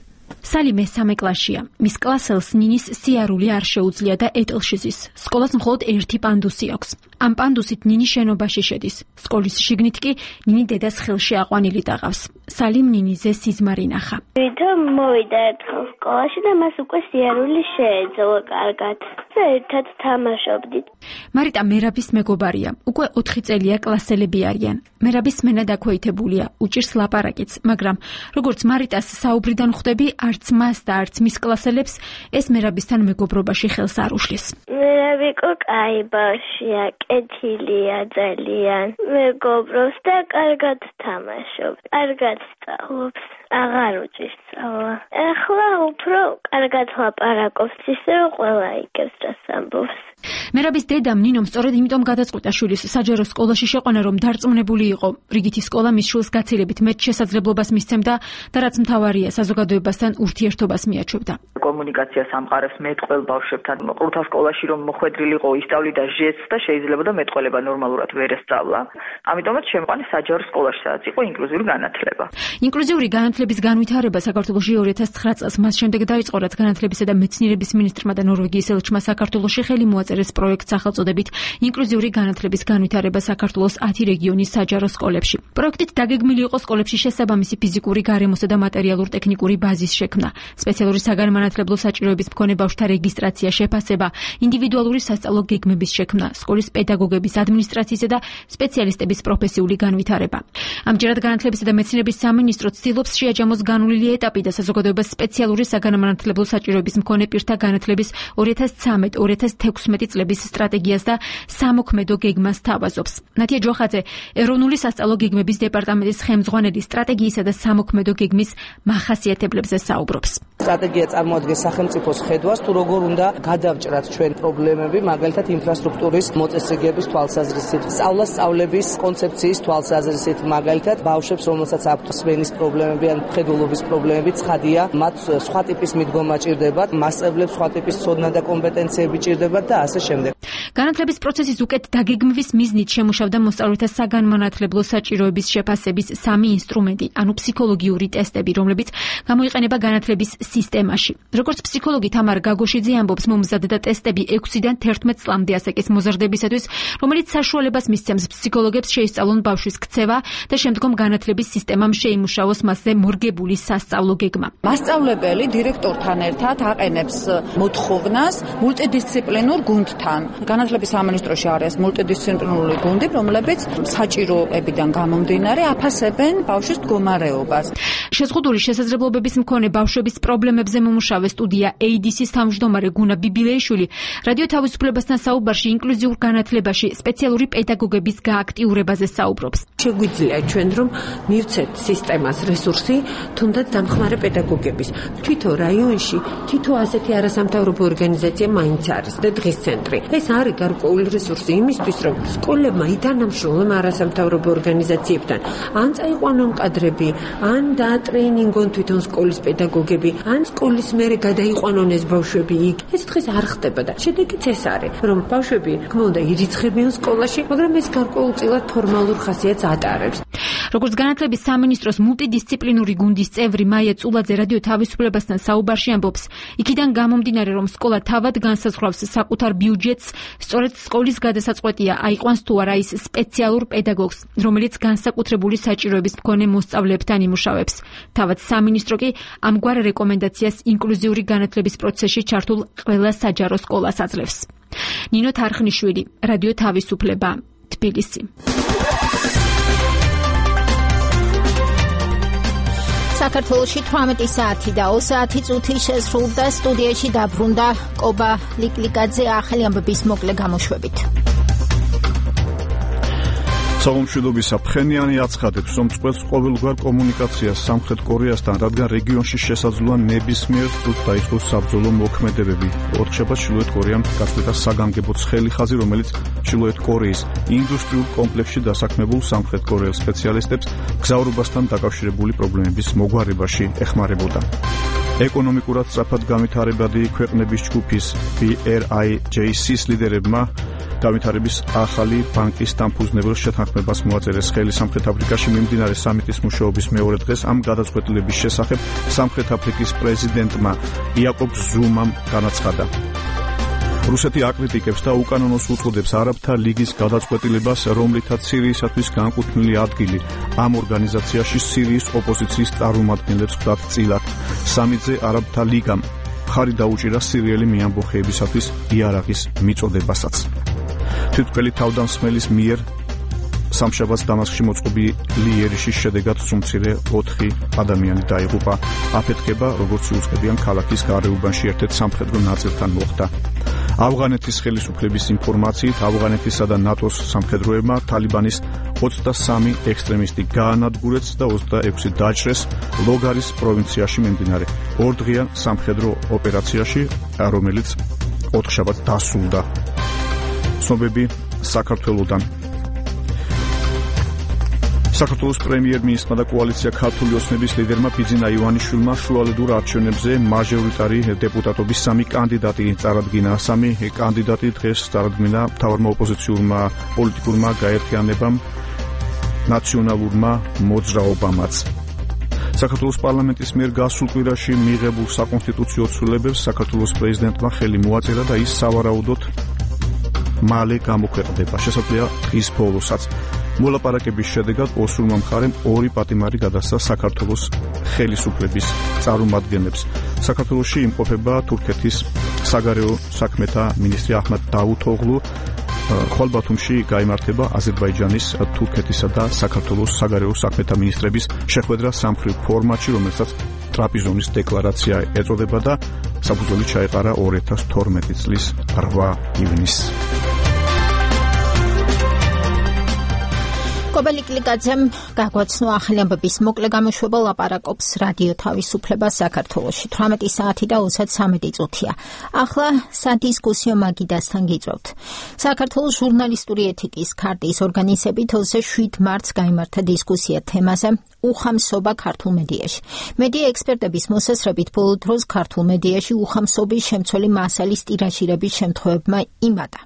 სალი მესამე კლასშია. მის კლასელს ნინის სიარული არ შეუძლია და ეტლში ზის. სკოლას მხოლოდ ერთი პანდუსი აქვს. ამ პანდუსით ნინი შენობაში შედის. სკოლის შიგნით კი ნინი დედას ხელში აყვანილი დაღავს. სალიმ ნინიზე სიზმარი ნახა. თვითონ მოვიდა ერთხელ სკოლაში და მას უკვე სიარული შეეძლო კარგად. ერთად თამაშობდით. მარიტა მერაბის მეგობარია. უკვე 4 წელია კლასელები არიან. მერაბის სმენა დაქვეითებულია, უჭირს ლაპარაკიც, მაგრამ როგორც მარიტას საუბრიდან ხვდები, არც მას და არც მის კლასელებს ეს მერაბისთან მეგობრობაში ხელს არ უშლის. მერაბი კაი ბავშვია, კეთილია ძალიან. მეგობრობს და კარგად თამაშობს. კარგად სწავლობს. აღარ უჭირს სწავლა. ახლა უფრო კარგად ლაპარაკობს, ისე ყველა იგებს რას ამბობს. მერაბის დედამ ნინომ სწორედ იმიტომ გადაწყვიტა შვილის საჯარო სკოლაში შეყვანა, რომ დარწმუნებული იყო, რიგითი სკოლა მის შვილს გაცილებით მეტ შესაძლებლობას მისცემდა და რაც მთავარია, საზოგადოებასთან ურთიერთობას მიაჩვევდა. კომუნიკაციას ამყარებს მეტყველ ბავშვებთან. ყრუთა სკოლაში რომ მოხვედრილიყო, ისწავლიდა ჟესტს და შეიძლებოდა მეტყველება ნორმალურად ვერ ესწავლა. ამიტომაც შემყვანე საჯარო სკოლაში, სადაც იყო ინკლუზიური განათლება. ინკლუზიური განათლების განვითარება საქართველოში 2009 წელს მას შემდეგ დაიწყო, რაც განათლებისა და მეცნიერების მინისტრმა და ნორვეგიის ელჩმა საქართველოში ხელი მოაწერეს პროექტს სახელწოდებით ინკლუზიური განათლების განვითარება საქართველოს 10 რეგიონის საჯარო სკოლებში. პროექტით დაგეგმილი იყო სკოლებში შესაბამისი ფიზიკური, გარემოსა და მატერიალურ-ტექნიკური ბაზის შექმნა, სპეციალური საგანმანათლებლო საჭიროების მქონე ბავშვთა რეგისტრაცია, შეფასება, ინდივიდუალური სასწავლო გეგმების შექმნა, სკოლის პედაგოგების, ადმინისტრაციისა და სპეციალისტების პროფესიული განვითარება. ამჯერად განათლებისა და მეცნიერების სამინისტრო ცდილობს შეაჯამოს განვლილი ეტაპი და საზოგადოებას სპეციალური საგანმანათლებლო საჭიროების მქონე პირთა განათლების 2013-2016 წლების სტრატეგიას და სამოქმედო გეგმას თავაზობს. ნათია ჯოხაძე, ეროვნული სასწავლო გეგმების დეპარტამენტის ხელმძღვანელი, სტრატეგიისა და სამოქმედო გეგმის მახასიათებლებზე საუბრობს. სტრატეგია წარმოადგენს სახელმწიფოს ხედვას, თუ როგორ უნდა გადავჭრათ ჩვენ პრობლემები, მაგალითად ინფრასტრუქტურის მოწესრიგების თვალსაზრისით, სწავლების კონცეფციის თვალსაზრისით, მაგალითად ბავშვებს, რომელსაც აქვთ სმენის პრობლემები ან მხედველობის პრობლემები, ცხადია, მათ სხვა ტიპის მიდგომა ჭირდებათ, მასწავლებლებს სხვა ტიპის ცოდნა და კომპეტენციები ჭირდებათ და ასე შემდეგ. განათლების პროცესის უკეთ დაგეგმვის მიზნით შემუშავდა მოსწავლეთა საგანმანათლებლო საჭიროების შეფასების 3 ინსტრუმენტი, ანუ ფსიქოლოგიური ტესტები, რომლებიც გამოიყენება განათლების სისტემაში. როგორც ფსიქოლოგი თამარ გაგოშიძე ამბობს, მომზადდა ტესტები 6-დან 11 წლამდე ასაკის მოზრდებისათვის, რომელიც საშუალებას მისცემს ფსიქოლოგებს შეისწავლონ ბავშვის ქცევა და შემდგომ განათლების სისტემამ შეიმუშაოს მასზე მორგებული სასწავლო გეგმა. მასწავლებელი დირექტორთან ერთად აყენებს მოთხოვნას მულტიდისციპლინურ გუნდთან. განათლების სამინისტროში არის მულტიდისციპლინური გუნდი, რომლებიც საჭიროებიდან გამომდინარე აფასებენ ბავშვის მდგომარეობას. შეზღუდული შესაძლებლობების მქონე ბავშვების პრობლემებზე მომუშავე სტუდია AIDS-ის თავმჯდომარე გუნა ბიბილეიშვილი რადიო თავისუფლებასთან საუბარში ინკლუზიურ განათლებაში სპეციალური პედაგოგების გააქტიურებაზე საუბრობს. შეგვიძლია ჩვენ რომ მივცეთ სისტემას რესურსი, თუნდაც დამხმარე პედაგოგების. თვითონ რაიონში თითო ასეთი არასამთავრობო ორგანიზაცია მაინც არის და დღის ცენტრი. ეს არის გარკვეული რესურსი იმისთვის, რომ სკოლებმა ითანამშრომლონ არასამთავრობო ორგანიზაციებთან. ან წაიყვანონ კადრები, ან დაატრეინინგონ თვითონ სკოლის პედაგოგები, ან სკოლის მერე გადაიყვანონ ეს ბავშვები იქ. ეს დღეს არ ხდება და შედეგიც ეს არის, რომ ბავშვები თქმა ირიცხებიან სკოლაში, მაგრამ ეს გარკვეულწილად ფორმალურ ხასიათს ატარებს. როგორც განათლების სამინისტროს მულტიდისციპლინური გუნდის წევრი მაია წულაძე რადიო თავისუფლებასთან საუბარში ამბობს, იქიდან გამომდინარე, რომ სკოლა თავად განსაზღვრავს საკუთარ ბიუჯეტს, სწორედ სკოლის გადასაწყვეტია აიყვანს თუ არა ის სპეციალურ პედაგოგს, რომელიც განსაკუთრებული საჭიროების მქონე მოსწავლეებთან იმუშავებს. თავად სამინისტრო კი ამგვარ რეკომენდაციას ინკლუზიური განათლების პროცესში ჩართულ ყველა საჯარო სკოლას აძლევს. ნინო თარხნიშვილი, რადიო თავისუფლება, თბილისი. საქართველოში 18 საათი და 20 საათი წუთი შესრულდა. სტუდიაში დაბრუნდა კობა ლიკლიკაძე ახალი ამბების მოკლე გამოშვებით. სამომშვიდობის საფრთხენიანი აცხადებს, რომ წყვეტს ყოველგვარ კომუნიკაციას სამხრეთ კორეასთან, რადგან რეგიონში შესაძლოა ნებისმიერ წუთს დაიწყოს საბრძოლო მოქმედებები. ოთხშაბათს ჩრდილოეთ კორეამ გაწყვეტა საგანგებო ცხელი ხაზი, რომელიც ჩრდილოეთ კორეის ინდუსტრიულ კომპლექსში დასაქმებულ სამხრეთ კორეელ სპეციალისტებს გზავრობასთან დაკავშირებული პრობლემების მოგვარებაში ეხმარებოდა. ეკონომიკურად სწრაფად განვითარებადი ქვეყნების ჯგუფის BRIJC-ის ლიდერებმა განვითარების ახალი ბანკის დამფუძნებელ შეთანხმებას მოაწერეს ხელი სამხრეთ აფრიკაში მიმდინარე სამიტის მუშაობის მეორე დღეს. ამ გადაწყვეტილების შესახებ სამხრეთ აფრიკის პრეზიდენტმა იაკობ ზუმამ განაცხადა. რუსეთი აკრიტიკებს და უკანონოს უწოდებს არაბთა ლიგის გადაწყვეტილებას, რომლითაც სირიისათვის განკუთვნილი ადგილი ამ ორგანიზაციაში სირიის ოპოზიციის წარმომადგენლებს ხვდათ წილად. სამიტზე არაბთა ლიგამ ხარი დაუჭირა სირიელი მეამბოხეებისათვის იარაღის მიწოდებასაც. თვითმკვლელი თავდამსხმელის მიერ სამშაბათს დამასკში მოწყობილი იერიშის შედეგად სუმცირე 4 ადამიანი დაიღუპა. აფეთქება, როგორც იუწყებიან ქალაქის გარეუბანში ერთ-ერთ სამხედრო ნაწილთან მოხდა. ავღანეთის ხელისუფლების ინფორმაციით, ავღანეთისა და ნატოს სამხედროებმა თალიბანის 23 ექსტრემისტი გაანადგურეს და 26 დაჭრეს ლოგარის პროვინციაში მიმდინარე ორდღიან სამხედრო ოპერაციაში, რომელიც 4 შაბათს დასრულდა. ცნობები საქართველოდან. საქართველოს პრემიერ-მინისტრმა და კოალიცია ქართული ოცნების ლიდერმა ბიძინა ივანიშვილმა შუალედურ არჩევნებზე მაჟორიტარი დეპუტატობის 3 კანდიდატი წარადგინა. 3 კანდიდატი დღეს წარადგინა მთავარმა ოპოზიციურმა პოლიტიკურმა გაერთიანებამ, ნაციონალურმა მოძრაობამაც. საქართველოს პარლამენტის მიერ გასულ კვირაში მიღებულ საკონსტიტუციო ცვლილებებს საქართველოს პრეზიდენტმა ხელი მოაწერა და ის სავარაუდოდ მალე გამოქვეყნდება. შესაძლოა დღის ბოლოსაც. მოლაპარაკების შედეგად ოსურმა მხარემ 2 პატიმარი გადასცა საქართველოს ხელისუფლების წარმომადგენლებს. საქართველოში იმყოფება თურქეთის საგარეო საქმეთა მინისტრი აჰმად დავუთოღლუ. ხვალ ბათუმში გაიმართება აზერბაიჯანის, თურქეთისა და საქართველოს საგარეო საქმეთა მინისტრების შეხვედრა სამხრივ ფორმატში, რომელსაც ტრაპიზონის დეკლარაცია ეწოდება და საფუძველი ჩაეყარა 2012 წლის 8 ივნისს. კობა ლიკლიკაძემ გაგვაცნო ახალი ამბების მოკლე გამოშვება. ლაპარაკობს რადიო თავისუფლება საქართველოში. 18 საათი და 33 წუთია. ახლა სადისკუსიო მაგიდასთან გიწევთ. საქართველოს ჟურნალისტური ეთიკის ქარტიის ორგანიზებით 27 მარტს გაიმართა დისკუსია თემაზე უხამსობა ქართულ მედიაში. მედია ექსპერტების მოსაზრებით ბოლო დროს ქართულ მედიაში უხამსობის შემცველი მასალის ტირაჟირების შემთხვევებმა იმატა.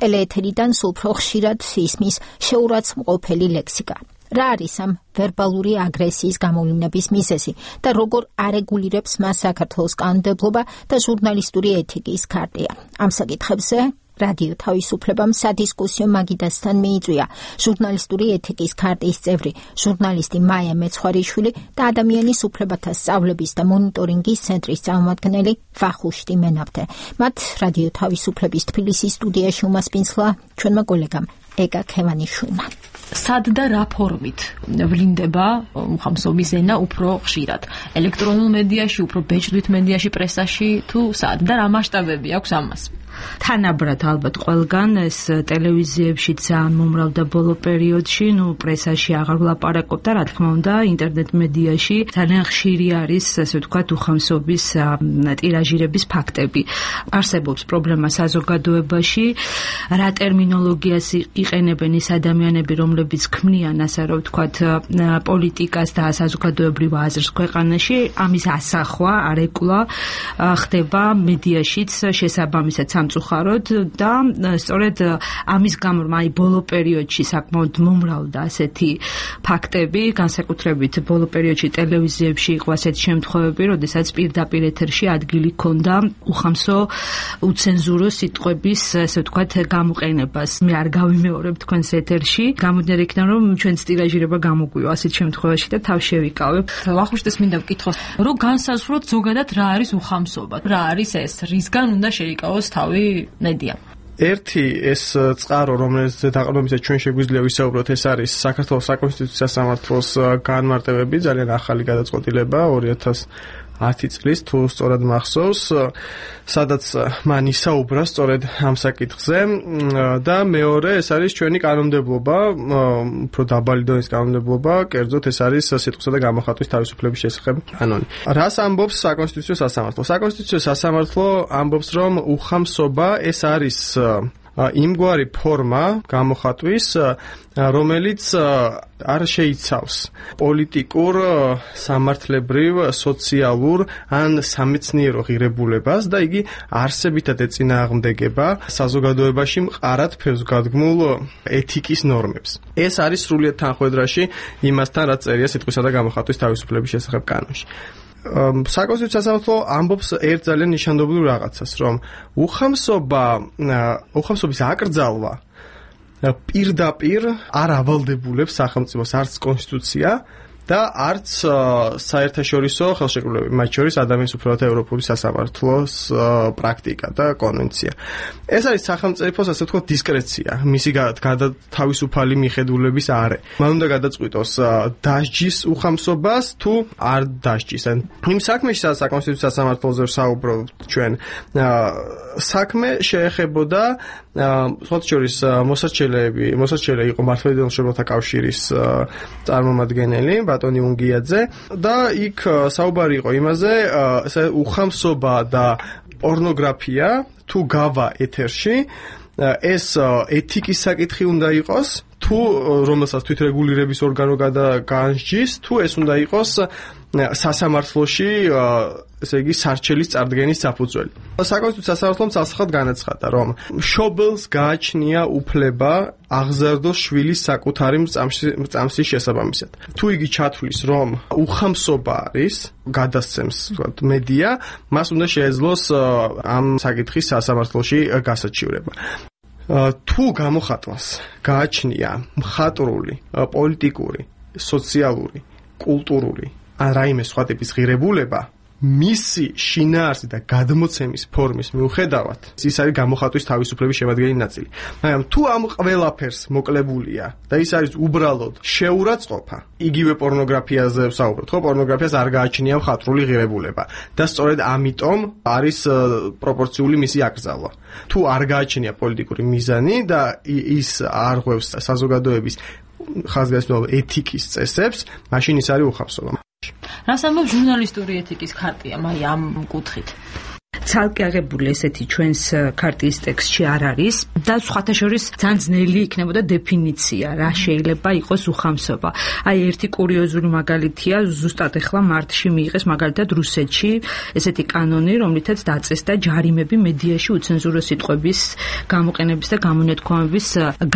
ტელეეთერიდან სულ უფრო ხშირად ისმის შეურაცხმყოფელი ლექსიკა. რა არის ამ ვერბალური აგრესიის გამოვლინების მიზეზი და როგორ არეგულირებს მას საქართველოს კანონმდებლობა და ჟურნალისტური ეთიკის ქარტია? ამ საკითხებზე რადიო თავისუფლებამ სადისკუსიო მაგიდასთან მიიწვია ჟურნალისტური ეთიკის ქარტიის წევრი ჟურნალისტი მაია მეცხვარიშვილი და ადამიანის უფლებათა სწავლების და მონიტორინგის ცენტრის წარმომადგენელი ვახუშტი მენაბდე. მათ რადიო თავისუფლების თბილისის სტუდიაში უმასპინძლა ჩვენმა კოლეგამ ეკა ქევანიშვილმა. სად და რა ფორმით ვლინდება უხამსობის ენა უფრო ხშირად? ელექტრონულ მედიაში, უფრო ბეჭდვით მედიაში, პრესაში თუ სად და რა მასშტაბები აქვს ამას? თანაბრად ალბათ ყველგან ეს ტელევიზიებში ძალიან მომრავლდა ბოლო პერიოდში, პრესაში აღარ ვლაპარაკობ და რა თქმა უნდა ინტერნეტ მედიაში ძალიან ხშირი არის, ასე ვთქვათ, უხამსობის ტირაჟირების ფაქტები. არსებობს პრობლემა საზოგადოებაში, რა ტერმინოლოგიას იყენებენ ის ადამიანები, რომლებიც ქმნიან, ასე რომ ვთქვათ, პოლიტიკას და საზოგადოებრივ აზრს ქვეყანაში, ამის ასახვა, არეკულა ხდება მედიაშიც შესაბამისად სამწუხაროდ და სწორედ ამის გამო ბოლო პერიოდში საკმაოდ მომრავლდა ასეთი ფაქტები, განსაკუთრებით ბოლო პერიოდში ტელევიზიებში იყო ასეთი შემთხვევები, როდესაც პირდაპირ ეთერში ადგილი ჰქონდა უხამსო უცენზურო სიტყვების, ასე ვთქვათ, გამოყენებას. მე არ გავიმეორებ თქვენს ეთერში, გამოდიარ იქიდან რომ ჩვენს ტირაჟირება გამოგვივა ასეთ შემთხვევაში და თავ შევიკავებ. ვახუშტეს მინდა ვკითხოს, რომ განსაზღვროთ ზოგადად რა არის უხამსობა? რა არის ეს? რისგან უნდა შეიკავოს თავი მედია? ერთი ეს წყარო, რომელიც დაყრდნობისას ჩვენ შეგვიძლია ვისაუბროთ, ეს არის საქართველოს საკონსტიტუციო სასამართლოს განმარტებები, ძალიან ახალი გადაწყვეტილება 2010 წლის, თუ სწორად მახსოვს, სადაც მან ისაუბრა სწორედ ამ საკითხზე და მეორე ეს არის ჩვენი კანონმდებლობა, უფრო დაბალი დონის კანონმდებლობა, კერძოდ ეს არის სიტყვისა და გამოხატვის თავისუფლების შესახებ კანონი. რას ამბობს საკონსტიტუციო სასამართლო? საკონსტიტუციო სასამართლო ამბობს, რომ უხამსობა ეს არის იმგვარი ფორმა გამოხატვის, რომელიც არ შეიცავს პოლიტიკურ, სამართლებრივ, სოციალურ ან სამეცნიერო ღირებულებას და იგი არსებითად ეწინააღმდეგება საზოგადოებაში მყარად ფესვგადგმულ ეთიკის ნორმებს. ეს არის სრულიად თანხვედრაში იმასთან, რაც წერია სიტყვისა და გამოხატვის თავისუფლების შესახებ კანონში. საკონსტიტუციო სასამართლო ამბობს ერთ ძალიან ნიშანდობლივ რაღაცას, რომ უხამსობის აკრძალვა პირდაპირ არ ავალდებულებს სახელმწიფოს არც კონსტიტუცია და არც საერთაშორისო ხელშეკრულებები, მათ შორის ადამიანის უფლებათა ევროპული სასამართლოს პრაქტიკა და კონვენცია. ეს არის სახელმწიფოს, ასე ვთქვათ, დისკრეცია, მისი თავისუფალი მიხედულების არე. მან უნდა გადაწყვიტოს დასჯის უხამსობას თუ არ დასჯის. იმ საქმეში, სადაც საკონსტიტუციო სასამართლოზე ვსაუბრობთ ჩვენ, საქმე შეეხებოდა სხვათა შორის მოსარჩელე იყო მართლმადიდებლურ მშობელთა კავშირის წარმომადგენელი ბატონი უნგიაძე და იქ საუბარი იყო იმაზე, უხამსობა და პორნოგრაფია თუ გავა ეთერში, ეს ეთიკის საკითხი უნდა იყოს, თუ რომელსაც თვითრეგულირების ორგანო განსჯის, თუ ეს უნდა იყოს სასამართლოში, ესე იგი სარჩელის წარდგენის საფუძველი. საკონსტიტუციო სასამართლომ სასახად განაცხადა, რომ მშობელს გააჩნია უფლება აღზარდოს შვილის საკუთარი მრწამსის შესაბამისად. თუ იგი ჩათვლის, რომ უხამსობა არის, გადასცემს, ვთქვათ, მედია, მას უნდა შეეძლოს ამ საკითხის სასამართლოში გასაჩივრება. თუ გამოხატვას გააჩნია მხატვრული, პოლიტიკური, სოციალური, კულტურული ან რაიმე სხვა ტიპის ღირებულება, მისი შინაარსი და გადმოცემის ფორმის მიუხედავად, ის არის გამოხატვის თავისუფლების შემადგენელი ნაწილი. მაგრამ თუ ამ ყველაფერს მოკლებულია და ის არის უბრალოდ შეურაცხყოფა, იგივე პორნოგრაფიაზე ვსაუბრობთ, ხო, პორნოგრაფიას არ გააჩნია მხატვრული ღირებულება და სწორედ ამიტომ არის პროპორციული მისი აკრძალვა. თუ არ გააჩნია პოლიტიკური მიზანი და ის არ ღვევს საზოგადოების ხაზგასმულ ეთიკის წესებს, მაშინ ის არის უხამსობა. რას ამბობს ჟურნალისტური ეთიკის ქარტია, აი ამ კუთხით? ცალკე აღებული ესეთი ჩვენს ქარტიის ტექსტში არ არის და სხვათა შორის ძალიან ძნელი იქნებოდა დეფინიცია რა შეიძლება იყოს უხამსობა. აი ერთი კურიოზული მაგალითია ზუსტად ახლა მარტში მიიღეს მაგალითად რუსეთში ესეთი კანონი, რომლითაც დაწესდა ჯარიმები მედიაში უცენზურო სიტყვების გამოყენების და გამონათქვამების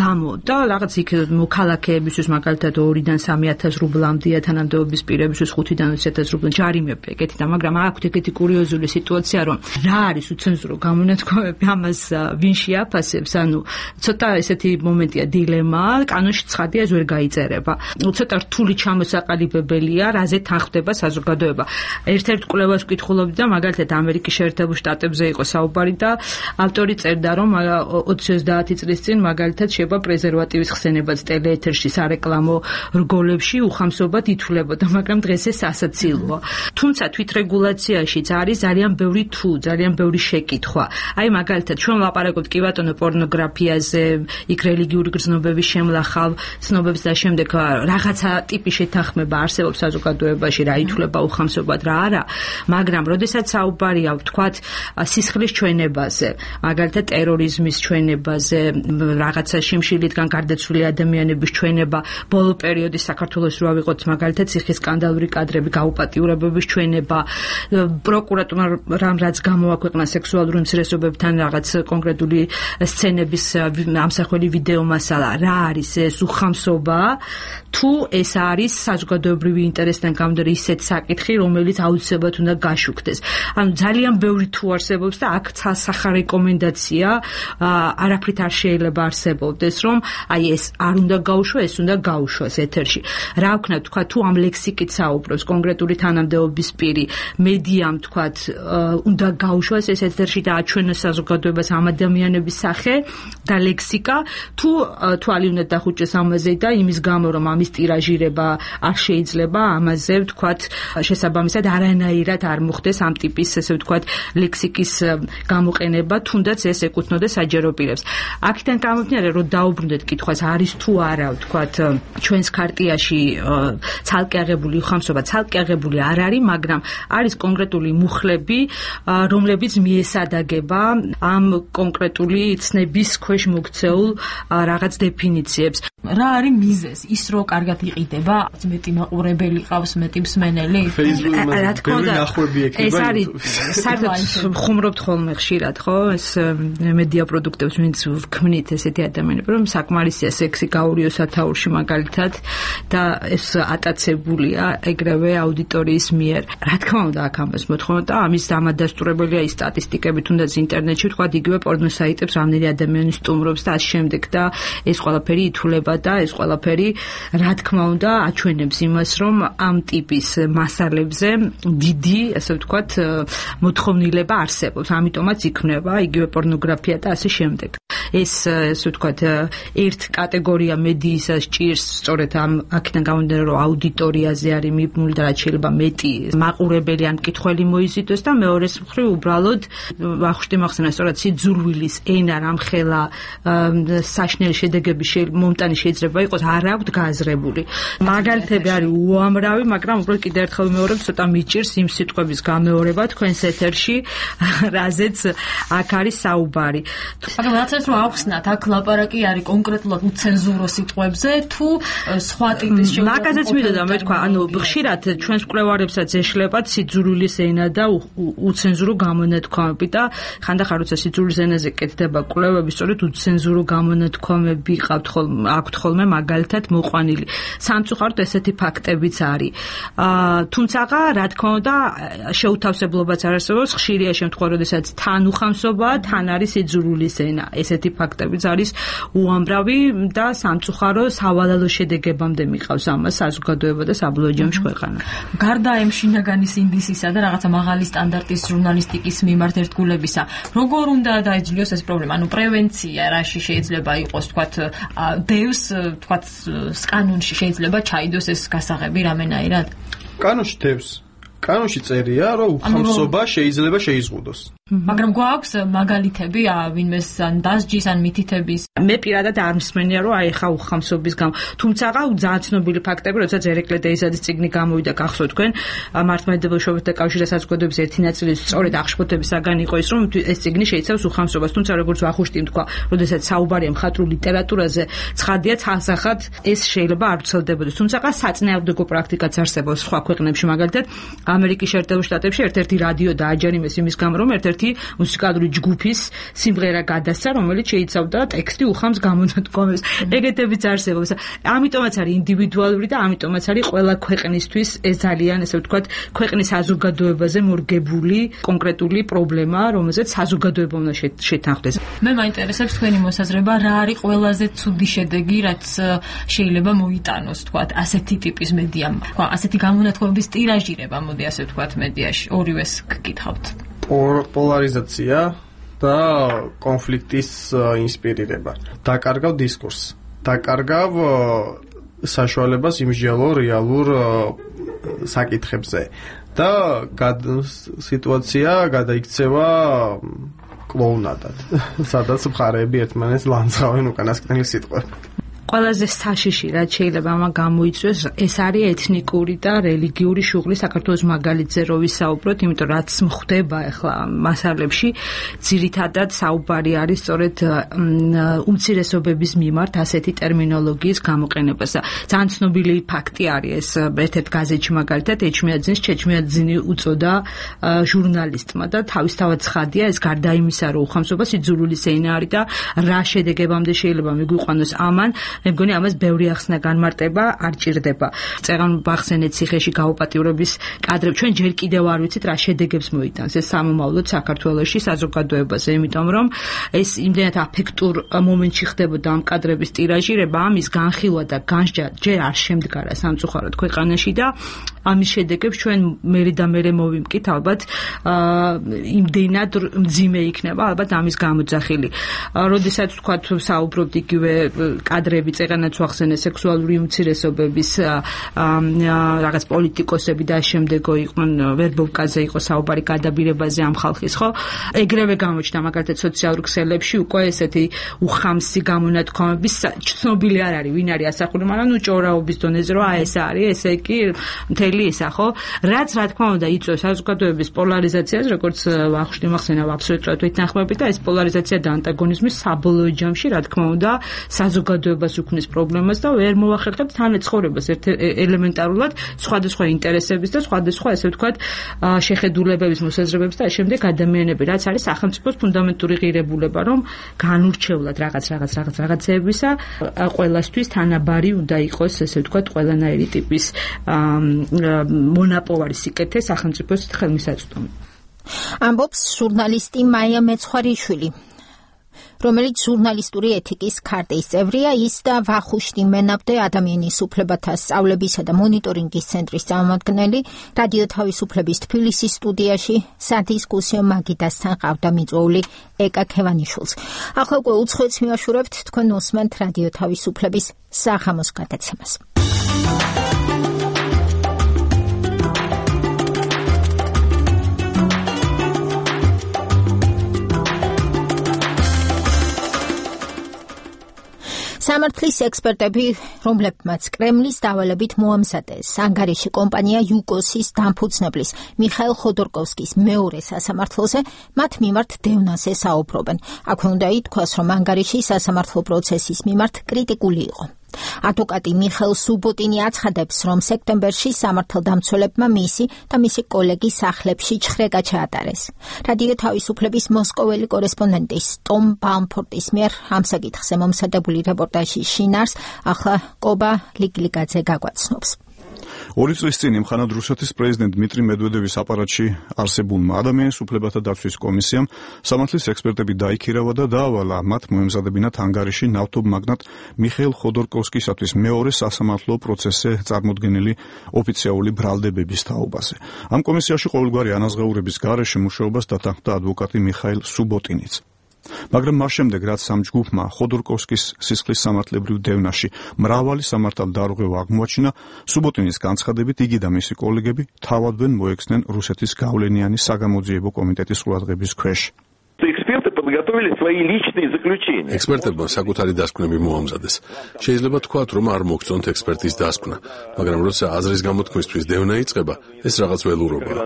გამო და რაღაც იქ მოქალაქეებისთვის მაგალითად 2-დან 3,000 რუბლამდეა თანამდებობის პირებისთვის 5-დან 20,000 რუბლი ჯარიმები ეგეთი და მაგრამ აქვთ ეგეთი კურიოზული სიტუაცია რომ რა არის უცენზურო გამონათქვამები ამას ვინ შეაფასებს ანუ ცოტა ესეთი მომენტია დილემა კანონში ცხადია ეს ვერ გაიწერება ცოტა რთული ჩამოსაყალიბებელია რაზე თანხდება საზოგადოება ერთ-ერთ კვლევას ვკითხულობდი და მაგალითად ამერიკის შეერთებულ შტატებზე იყო საუბარი და ავტორი წერდა რომ 20-30 წლის წინ მაგალითად შეება პრეზერვატივის ხსენებაც ტელეეთერში სარეკლამო რგოლებში უხამსობად ითვლებოდა მაგრამ დღეს ეს ასაცილოა თუმცა თვითრეგულაციაშიც არის ძალიან ბევრი შეკითხვა აი მაგალითად ჩვენ ვლაპარაკობთ კი ბატონო პორნოგრაფიაზე იქ რელიგიური გრძნობების შემლახავ ცნობებს და შემდეგ რაღაცა ტიპის შეთანხმება არსებობს საზოგადოებაში რა ითვლება უხამსობად რა არა მაგრამ როდესაც საუბარია ვთქვათ სისხლის ჩვენებაზე მაგალითად ტერორიზმის ჩვენებაზე რაღაცა შიმშილიდან გარდაცვლილი ადამიანების ჩვენება ბოლო პერიოდის საქართველოს რო ავიღოთ მაგალითად ციხის სკანდალური კადრები გაუპატიურებების ჩვენება პროკურატურამ რაც გამოაქვეყნა სექსუალური უმცირესობებთან რაღაც კონკრეტული სცენების ამსახველი ვიდეო მასალა რა არის ეს უხამსობა თუ ეს არის საზოგადოებრივი ინტერესთან გამომდინარე ისეთ საკითხი რომელიც აუცილებლად უნდა გაშუქდეს ანუ ძალიან ბევრი თუ არსებობს და აქ ცალსახა რეკომენდაცია არაფრით არ შეიძლება არსებობდეს რომ აი ეს არ უნდა გაუშვა ეს უნდა გაუშვას ეთერში რა ვქნა თქვა თუ ამ ლექსიკით საუბრობს კონკრეტული თანამდებობის პირი მედიამ თქვა უნდა გაუშვას ეს ეთერში და აჩვენოს საზოგადოებას ამ ადამიანების სახე და ლექსიკა თუ თვალი უნდა დახუჭეს ამაზე და იმის გამო რომ ამის ტირაჟირება არ შეიძლება ამაზე ვთქვათ შესაბამისად არანაირად არ მოხდეს ამ ტიპის ესე ვთქვათ ლექსიკის გამოყენება თუნდაც ეს ეკუთვნოდეს საჯარო პირებს აქედან გამომდინარე რომ დაუბრუნდეთ კითხვას არის თუ არა ვთქვათ ჩვენს ქარტიაში ცალკე აღებული უხამსობა ცალკე აღებული არ არის მაგრამ არის კონკრეტული მუხლები რომლებიც მიესადაგება ამ კონკრეტული ცნების ქვეშ მოქცეულ რაღაც დეფინიციებს რა არის მიზეზ ის რო კარგად იყიდება მეტი მაყურებელი ყავს მეტი მსმენელი რა თქმა უნდა ეს არის საერთოდ ხუმრობთ ხოლმე ხშირად ხო ეს მედია პროდუქტებს ვინც ვქმნით ესეთი ადამიანები რომ საკმარისია სექსი გაურიო სათაურში მაგალითად და ეს ატაცებულია ეგრევე აუდიტორიის მიერ რა თქმა უნდა აქ ამას მოთხოვნა და ამის დამადასტურებელია ის სტატისტიკები თუნდაც ინტერნეტში თქვა იგივე პორნო საიტებს რამდენი ადამიანი სტუმრობს და ამ შემდეგ და ეს ყველაფერი ითვლება და ეს ყველაფერი რა თქმა უნდა აჩვენებს იმას რომ ამ ტიპის მასალებზე დიდი ასე ვთქვათ მოთხოვნილება არსებობს ამიტომაც იქნება იგივე პორნოგრაფია და ასე შემდეგ ეს ასე ვთქვათ ერთ კატეგორია მედიისას ჭირს სწორედ ამ აქედან გამომდინარე რომ აუდიტორიაზე არის მიბმული და რაც შეიძლება მეტი მაყურებელი ან მკითხველი მოიზიდოს და მეორეს მხრივ უბრალოდ ვახუშტი მახსენა სწორად სიძულვილის ენა რამხელა საშნელი შედეგების მომტანი შეიძლება იყოს არ აქვთ გააზრებული მაგალითები არის უამრავი მაგრამ უბრალოდ კიდევ ერთხელ ვიმეორებ ცოტა მიჭირს იმ სიტყვების გამეორება თქვენს ეთერში რაზეც აქ არის საუბარი მაგრამ რაც ეს რომ ახსნათ აქ ლაპარაკი არის კონკრეტულად უცენზურო სიტყვებზე თუ სხვა ტიპის შეუძლებლობა მაგაზეც მიდოდა მე თქვა ანუ ხშირად ჩვენს კვლევარებსაც ეშლებათ სიძულვილის ენა და უცენზურო გამონათქვამები და ხანდახან როცა სიძულვილის ენაზე კეთდება კვლევები სწორედ უცენზურო გამონათქვამები აქვთ ხოლმე მაგალითად მოყვანილი სამწუხაროდ ესეთი ფაქტებიც არის თუმცა რა თქმა უნდა შეუთავსებლობაც არ არსებობს ხშირია შემთხვევა როდესაც თან უხამსობაა თან არის სიძულვილის ენა ესეთი ფაქტებიც არის უამრავი და სამწუხარო სავალალო შედეგებამდე მიყავს ამას საზოგადოება და საბოლოო ჯამში ქვეყანა გარდა ამ შინაგანი სინდისისა და რაღაცა მაღალი სტანდარტის ჟურნალისტიკის მიმართ ერთგულებისა როგორ უნდა დაეძლიოს ეს პრობლემა ანუ პრევენცია რაში შეიძლება იყოს თქვათ დევს თქვათ კანონში შეიძლება ჩაიდოს ეს გასაღები რამენაირად კანონში დევს კანონში წერია რომ უხამსობა შეიძლება შეიზღუდოს მაგრამ გვაქვს მაგალითები ვინმეს ან დასჯის ან მითითების. მე პირადად არ მსმენია რომ აი ხა უხამსობის გამო. თუმცა ძალიან ცნობილი ფაქტები, როცა ზერეკლე დეიზადის წიგნი გამოვიდა გახსოვთ თქვენ, მართლმადიდებლობათა კავშირის საზოგადოების ერთი ნაწილი სწორედ აღშფოთებისაგან იყო ის, რომ ეს წიგნი შეიცავს უხამსობას, თუმცა როგორც ვახუშტიმ თქვა, როდესაც საუბარია მხატვრულ ლიტერატურაზე, ცხადია ცალსახად ეს შეიძლება არ ვრცელდებოდეს. თუმცა საწინააღმდეგო პრაქტიკაც არსებობს სხვა ქვეყნებში, მაგალითად ამერიკის შეერთებულ შტატებში ერთ-ერთი რადიო დააჯერიმეს იმის გამო, რომ ერთ-ერთი მუსიკალური ჯგუფის სიმღერა გადასცა, რომელიც შეიცავდა ტექსტი უხამს გამონათქვამებს. ეგეთებიც არსებობს. ამიტომაც არის ინდივიდუალური და ამიტომაც არის ყველა ქვეყნისთვის ეს ძალიან, ესე ვთქვათ, ქვეყნის საზოგადოებაზე მორგებული კონკრეტული პრობლემა, რომელზეც საზოგადოება უნდა შეთანხმდეს. მე მაინტერესებს თქვენი მოსაზრება, რა არის ყველაზე ცუდი შედეგი, რაც შეიძლება მოიტანოს, თქვათ, ასეთი ტიპის მედიამ. თქვა, ასეთი გამონათქვამების ტირაჟირება, მოდი ასე ვთქვათ, მედიაში. ორივეს გკითხავთ. პოლარიზაცია და კონფლიქტის ინსპირირება. დაკარგავ დისკურსს. დაკარგავ საშუალებას იმსჯელო რეალურ საკითხებზე და სიტუაცია გადაიქცევა კლოუნადად. სადაც მხარეები ერთმანეთს ლანძღავენ უკანასკნელი სიტყვები. ყველაზე საშიში რაც შეიძლება ამან გამოიწვიოს ეს არის ეთნიკური და რელიგიური შუღლი საქართველოს მაგალითზე რო ვისაუბროთ, იმიტომ რაც მხდება ახლა მასალებში ძირითადად საუბარი არის სწორედ უმცირესობების მიმართ ასეთი ტერმინოლოგიის გამოყენებას. ძალიან ცნობილი ფაქტი არის ეს, ერთ-ერთ გაზეთში მაგალითად ეჩმიაძინის ჩეჩმიაძინი უწოდა ჟურნალისტმა და თავისთავად ცხადია ეს გარდა იმისა რომ უხამსობა სიძულული სეინა არის და რა შედეგებამდე შეიძლება მიგვიყვანოს ამან მე მგონი ამას ბევრი ახსნა განმარტება არ ჭირდება. წერან ბახსენეთ ციხეში გაუპატიურების კადრები ჩვენ ჯერ კიდევ არ ვიცით რა შედეგებს მოიტანს ეს სამომავლოდ საქართველოში საზოგადოებაზე, იმიტომ რომ ეს იმდენად აფექტურ მომენტში ხდებოდა ამ კადრების ტირაჟირება, ამის განხილვა და განსჯა ჯერ არ შემდგარა სამწუხაროდ ქვეყანაში და ამის შედეგებს ჩვენ მერე და მერე მოვიმკით ალბათ იმდენად მძიმე იქნება ალბათ ამის გამოძახილი. როდესაც თქვა საუბრობთ იგივე კადრები წერანაც ვახსენე სექსუალური უმცირესობების რაღაც პოლიტიკოსები და შემდეგო იყვნენ ვერბოვკაზე იყო საუბარი გადაბირებაზე ამ ხალხის, ხო? ეგრევე გამოჩნდა მაგალითად სოციალურ ქსელებში უკვე ესეთი უხამსი გამონათქვამების ცნობილი არ არის ვინ არის ასახული, მაგრამ ნუ ჭორაობის დონეზე რომ აი ეს არის, ესე იგი მთელი ისა, ხო? რაც რა თქმა უნდა იწვევს საზოგადოების პოლარიზაციას, როგორც ვახუშტი მახსენა აბსოლუტურად ვეთანხმები და ეს პოლარიზაცია და ანტაგონიზმი საბოლოო ჯამში რა თქმა უნდა საზოგადოებას უქმნის პრობლემას და ვერ მოახერხებს თანაცხოვრებას ელემენტარულად სხვადასხვა ინტერესების და სხვადასხვა ესე ვთქვათ შეხედულებების მოსაზრებების და ამ შემდეგ ადამიანები რაც არის სახელმწიფოს ფუნდამენტური ღირებულება რომ განურჩევლად რაღაცებისა ყველასთვის თანაბარი უნდა იყოს ესე ვთქვათ ყველანაირი ტიპის მონაპოვარი სიკეთე სახელმწიფოს ხელმისაწვდომი. ამბობს ჟურნალისტი მაია მეცხვარიშვილი, რომელიც ჟურნალისტური ეთიკის ქარტის წევრია, ის და ვახუშტი მენაბდე ადამიანის უფლებათა სწავლებისა და მონიტორინგის ცენტრის წარმომადგენელი რადიო თავისუფლების თბილისის სტუდიაში სადისკუსიო მაგიდასთან ყავდა მიწვეული ეკა ქევანიშვილს. ახლა უკვე უცხოეთს მივაშურებთ, თქვენ უსმენთ რადიო თავისუფლების საღამოს გადაცემას. სამართლის ექსპერტები, რომლებმაც კრემლის დავალებით მოამზადეს ანგარიში კომპანია იუკოსის დამფუძნებლის მიხაილ ხოდორკოვსკის მეორე სასამართლოზე, მათ მიმართ დევნაზე საუბრობენ. აქვე უნდა ითქვას, რომ ანგარიში სასამართლო პროცესის მიმართ კრიტიკული იყო. ადვოკატი მიხეილ სუბოტინი აცხადებს, რომ სექტემბერში სამართალდამცველებმა მისი და მისი კოლეგის სახლებში ჩხრეკა ჩაატარეს. რადიო თავისუფლების მოსკოველი კორესპონდენტის ტომ ბამფორტის მიერ ამ საკითხზე მომზადებული რეპორტაჟის შინაარს ახლა კობა ლიგლიგაძე გაგვაცნობს. 2 წლის წინ იმხანად რუსეთის პრეზიდენტ დმიტრი მედვედევის აპარატში არსებულმა ადამიანის უფლებათა დაცვის კომისიამ სამართლის ექსპერტები დაიქირავა და დაავალა მათ მოემზადებინათ ანგარიში ნავთობ მაგნატ მიხეილ ხოდორკოვსკისათვის მეორე სასამართლო პროცესზე წარმოდგენილი ოფიციალური ბრალდებების თაობაზე. ამ კომისიაში ყოველგვარი ანაზღაურების გარეშე მუშაობას დათანხმდა ადვოკატი მიხაილ სუბოტინიც. მაგრამ მას შემდეგ რაც ამ ჯგუფმა ხოდორკოვსკის სისხლის სამართლებრივ დევნაში მრავალი სამართალდარღვევა აღმოაჩინა, სუბოტინის განცხადებით იგი და მისი კოლეგები თავადვე მოექცნენ რუსეთის გავლენიანი საგამოძიებო კომიტეტის ყურადღების ქვეშ. ექსპერტებმა საკუთარი დასკვნები მოამზადეს. შეიძლება თქვათ, რომ არ მოგწონთ ექსპერტის დასკვნა, მაგრამ როცა აზრის გამოთქმისთვის დევნა იწყება, ეს რაღაც ველურობაა.